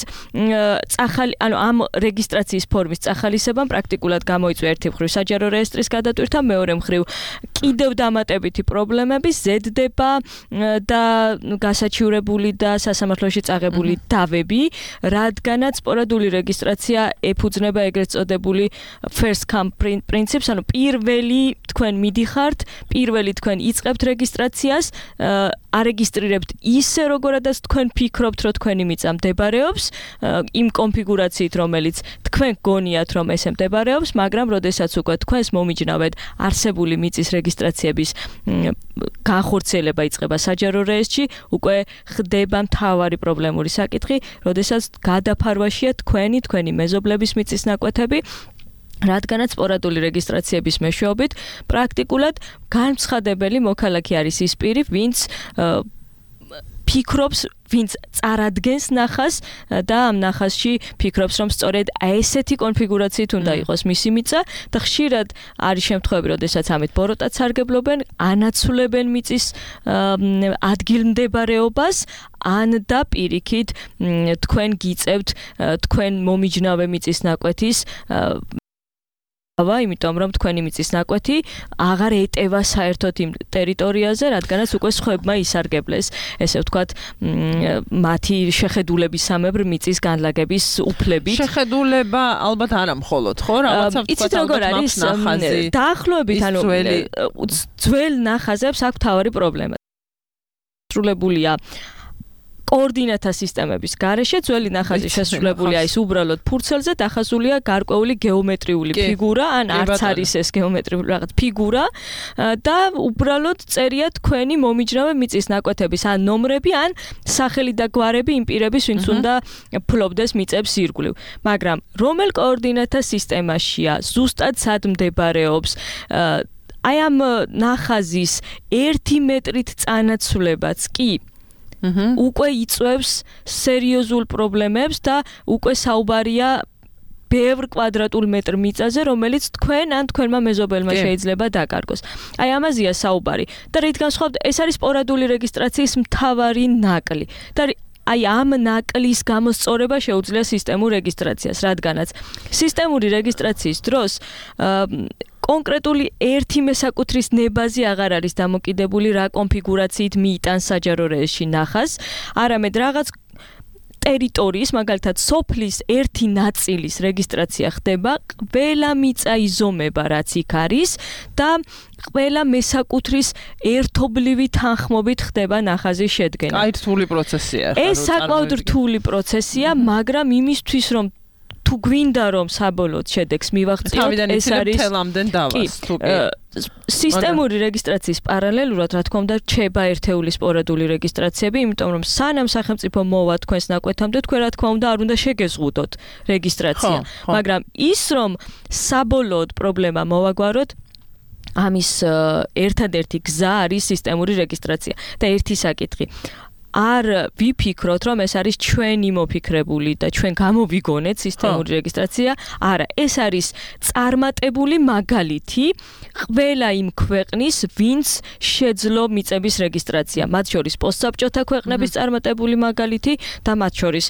წახალი, ანუ ამ რეგისტრაციის ფორმის წახალისებამ პრაქტიკულად გამოიწვია ერთი მხრივ საჯარო რეესტრის გადატვირთვა, მეორე მხრივ კიდევ დამატებითი პრობლემები, ზედდება და გასაჩივრებული და სასამართლოში წაღებული დავები, რადგანაც სპორადული რეგისტრაცია ეფუძნება ეგრეთ წოდებული first come principes, ანუ პირველი თქვენ მიდიხართ, პირველი თქვენ იწყებთ რეგისტრაციას, არეგისტრირებთ ისე როგორადაც თქვენ ფიქრობთ, რომ თქვენი მიწა მდებარეობს, იმ კონფიგურაციით, რომელიც თქვენ გონიათ, რომ ესე მდებარეობს, მაგრამ როდესაც უკვე თქვენს მომიჯნავედ არსებული მიწის რეგისტრაციების განხორციელება იწყება საჯარო რეესტრში, უკვე ხდება მთავარი პრობლემური საკითხი, როდესაც გადაფარვაშია თქვენი, თქვენი მეზობლების მიწის ნაკვეთები, რადგანაც სპორადული რეგისტრაციების მეშვეობით პრაქტიკულად განცხადებელი მოქალაქე არის ის პირი, ვინც ფიქრობს, ვინც წარადგენს ნახას და ამ ნახასში ფიქრობს, რომ სწორედ ესეთი კონფიგურაციით უნდა იყოს მისი მიწა და ხშირად არის შემთხვევები, როდესაც ამით ბოროტად სარგებლობენ, ანაცვლებენ მიწის ადგილმდებარეობას, ან და პირიქით თქვენ გიწევთ თქვენ მომიჯნავე მიწის ნაკვეთის იმიტომ რომ თქვენი მიწის ნაკვეთი აღარ ეტევა საერთოდ იმ ტერიტორიაზე, რადგანაც უკვე სხვებმა ისარგებლეს, ესე ვთქვათ, მათი შეხედულებისამებრ მიწის განლაგების უფლებით. შეხედულება ალბათ არა მხოლოდ, ხო? რაღაცა ვთქვათ, როგორ არის დაახლოებით, ანუ ძველ ნახაზებს აქვს თავარი პრობლემა. სრულებულია კოორდინატთა სისტემების გარეშე ძველი ნახაზი შესრულებულია ის უბრალოდ ფურცელზე დახაზულია გარკვეული გეომეტრიული ფიგურა, ან არც არის ეს გეომეტრიული რაღაც ფიგურა და უბრალოდ წერია თქვენი მომიჯნავე მიწის ნაკვეთების ან ნომრები, ან სახელი და გვარები იმ პირების, ვინც უნდა ფლობდეს მიწებს ირგვლივ. მაგრამ რომელ კოორდინატთა სისტემაშია, ზუსტად სად მდებარეობს აი ამ ნახაზის ერთი მეტრით წანაცვლებაც კი უკვე იწვევს სერიოზულ პრობლემებს და უკვე საუბარია ბევრ კვადრატულ მეტრ მიწაზე, რომელიც თქვენ ან თქვენმა მეზობელმა შეიძლება დაკარგოს. აი ამაზეა საუბარი. და რით განსხვავებით, ეს არის სპორადული რეგისტრაციის მთავარი ნაკლი. და აი ამ ნაკლის გამოსწორება შეუძლია სისტემურ რეგისტრაციას, რადგანაც სისტემური რეგისტრაციის დროს კონკრეტული ერთი მესაკუთრის ნებაზე აღარ არის დამოკიდებული, რა კონფიგურაციით მიიტანს საჯარო რეესტრში ნახას, არამედ რაღაც ტერიტორიის, მაგალითად სოფლის ერთი ნაწილის რეგისტრაცია ხდება, ყველა მიწა იზომება, რაც იქ არის და ყველა მესაკუთრის ერთობლივი თანხმობით ხდება ნახაზის შედგენა. აი რთული პროცესია. ეს საკმაოდ რთული პროცესია, მაგრამ იმისთვის რომ თუ გვინდა რომ საბოლოოდ შედეგს მივაღწიოთ, ეს არის თელამდენ დავას, თუკი სისტემური რეგისტრაციის პარალელურად, რა თქმა უნდა, რჩება ერთეული სპორადული რეგისტრაციები, იმიტომ რომ სანამ სახელმწიფო მოვა თქვენს ნაკვეთამდე, თქვენ რა თქმა უნდა არ უნდა შეგეზღუდოთ რეგისტრაცია, მაგრამ ის რომ საბოლოოდ პრობლემა მოვაგვაროთ, ამის ერთადერთი გზა არის სისტემური რეგისტრაცია და ერთი საკითხი არ ვიფიქროთ, რომ ეს არის ჩვენი მოფიქრებული და ჩვენ გამოვიგონეთ სისტემური რეგისტრაცია. არა, ეს არის წარმატებული მაგალითი ყველა იმ ქვეყნის, ვინც შეძლო მიწების რეგისტრაცია. მათ შორის პოსტსაბჭოთა ქვეყნების წარმატებული მაგალითი და მათ შორის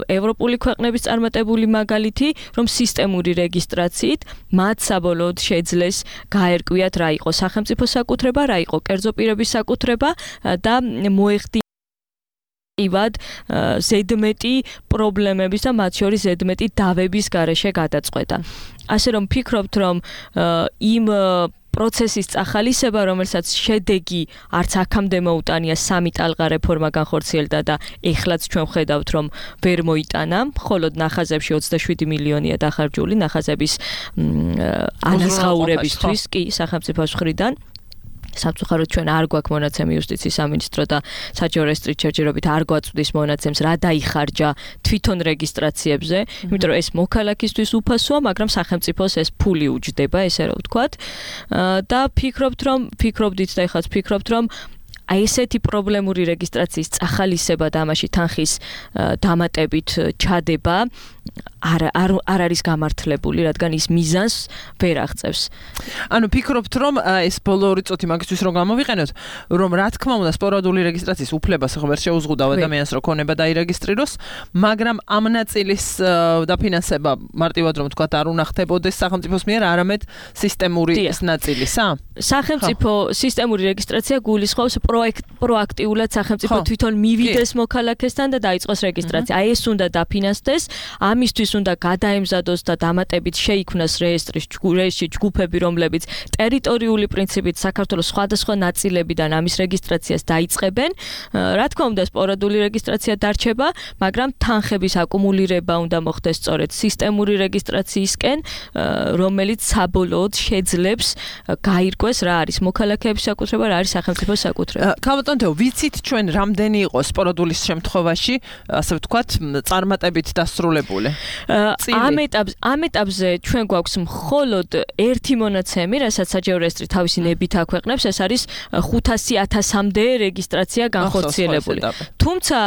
ევროპული ქვეყნების წარმატებული მაგალითი, რომ სისტემური რეგისტრაციით მათ საბოლოოდ შეძლეს გაერკვიათ, რა იყო სახელმწიფო საკუთრება, რა იყო კერძო პირების საკუთრება და მოეხდინა ივად ზედმეტი პრობლემების და მათ შორის ზედმეტი დავების გარეშე გადაწყვეტა. ასე რომ ფიქრობთ, რომ იმ პროცესის წახალისება, რომელსაც შედეგი არც აქამდე მოუტანია, სამი ტალღა რეფორმა განხორციელდა და ეხლაც ჩვენ ვხედავთ, რომ ვერ მოიტანა, მხოლოდ ნახაზებში ოცდაშვიდი მილიონია დახარჯული ნახაზების ანაზღაურებისთვის კი სახელმწიფოს მხრიდან. სამწუხაროდ ჩვენ არ გვაქვს მონაცემი იუსტიციის სამინისტრო და საჯარო რეესტრის ჯერჯერობით არ გვაწვდის მონაცემს, რა დაიხარჯა თვითონ რეგისტრაციებზე, იმიტომ რომ ეს მოქალაქისთვის უფასოა, მაგრამ სახელმწიფოს ეს ფული უჯდება, ესე რომ ვთქვათ. და ფიქრობთ, რომ ფიქრობდით და ეხლაც ფიქრობთ, რომ აი ესეთი პრობლემური რეგისტრაციის წახალისება და ამაში თანხის დამატებით ჩადება არ არ არ არის გამართლებული, რადგან ის მიზანს ვერ აღწევს. ანუ ფიქრობთ, რომ ეს ბოლო ორი წუთი მაგისთვის რომ გამოვიყენოთ, რომ რა თქმა უნდა სპორადული რეგისტრაციის უფლებას ხო ვერ შეუზღუდავ ადამიანს რომ ქონება დაირეგისტრიროს, მაგრამ ამ ნაწილის დაფინანსება მარტივად რომ თქვა არ უნდა ხდებოდეს სახელმწიფოს მიერ, არამედ სისტემური ეს ნაწილისა? სახელმწიფო სისტემური რეგისტრაცია გულისხმობს პროაქტიულად სახელმწიფო თვითონ მივიდეს მოქალაქესთან და დაიწყოს რეგისტრაცია. აი ეს უნდა დაფინანსდეს, ამისთვის უნდა გადაემზადოს და დამატებით შეიქმნას რეესტრის რეესტრი ჯგუფები, რომლებიც ტერიტორიული პრინციპით საქართველოს სხვადასხვა ნაწილებიდან ამის რეგისტრაციას დაიწყებენ. რა თქმა უნდა, სპორადული რეგისტრაცია დარჩება, მაგრამ თანხების აკუმულირება უნდა მოხდეს სწორედ სისტემური რეგისტრაციისკენ, რომელიც საბოლოოდ შეძლებს გაირკვეს რა არის მოქალაქეების საკუთრება, რა არის სახელმწიფოს საკუთრება. ქალბატონო, ვიცით ჩვენ რამდენი იყო სპორადულის შემთხვევაში, ასე ვთქვათ, წარმატებით დასრულებული? ამ ეტაპზე ამ ეტაპზე ჩვენ გვაქვს მხოლოდ ერთი მონაცემი, რასაც საჯარო რეესტრი თავისი ნებით აქვეყნებს, ეს არის ხუთასი ათასამდე რეგისტრაცია განხორციელებული. თუმცა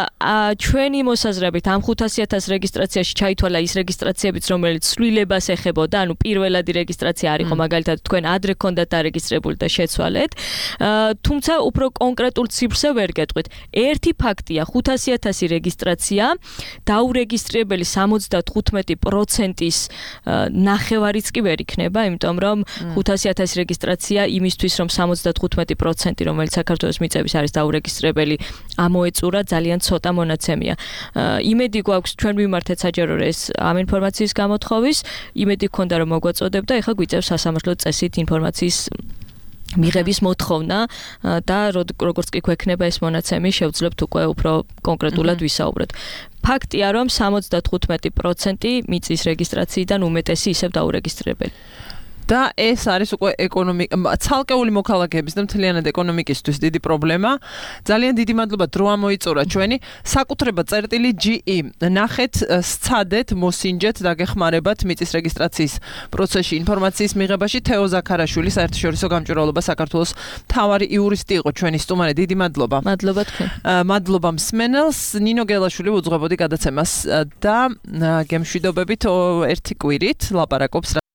ჩვენი მოსაზრებით ამ ხუთასი ათას რეგისტრაციაში ჩაითვალა ის რეგისტრაციებიც, რომელიც ცვლილებას ეხებოდა, ანუ პირველადი რეგისტრაცია არ იყო, მაგალითად თქვენ ადრე ქონდათ დარეგისტრებული და შეცვალეთ. თუმცა უფრო კონკრეტულ ციფრზე ვერ გეტყვით. ერთი ფაქტია, ხუთასი ათასი რეგისტრაცია დაურეგისტრირებელი სამოცდათხუთმეტი პროცენტის ნახევარიც კი ვერ იქნება, იმიტომ რომ ხუთასი ათასი რეგისტრაცია იმისთვის, რომ სამოცდათხუთმეტი პროცენტი, რომელიც საქართველოს მიწების არის დაურეგისტრირებელი, ამოეწურა ძალიან ცოტა მონაცემია. იმედი გვაქვს ჩვენ ვიმართეთ საჯარო რეესტრს ამ ინფორმაციის გამოთხოვის, იმედი გქონდა რომ მოგვაწოდებდა, ეხლა გვიწევს სასამართლო წესით ინფორმაციის მიღების მოთხოვნა და როგორც კი გვექნება ეს მონაცემი, შევძლებთ უკვე უფრო კონკრეტულად ვისაუბროთ. ფაქტია, რომ სამოცდათხუთმეტი პროცენტი მიწის რეგისტრაციიდან უმეტესი ისევ დაურეგისტრირებელი. და ეს არის უკვე ეკონომიკა, ცალკეული მოქალაქეების და მთლიანად ეკონომიკისთვის დიდი პრობლემა. ძალიან დიდი მადლობა დრო ამოიწურა ჩვენი საკუთრება წერტილი ჯი ი. ნახეთ, სცადეთ, მოსინჯეთ და გეხმარებათ მიწის რეგისტრაციის პროცესში ინფორმაციის მიღებაში. თეო ზაქარაშვილი, საერთაშორისო გამჭვირვალობა საქართველოს მთავარი იურისტი იყო ჩვენი სტუმარი. დიდი მადლობა. მადლობა თქვენ. მადლობა მსმენელს. ნინო გელაშვილი უძღვებოდი გადაცემას და გემშვიდობებით ერთი კვირით ლაპარაკობს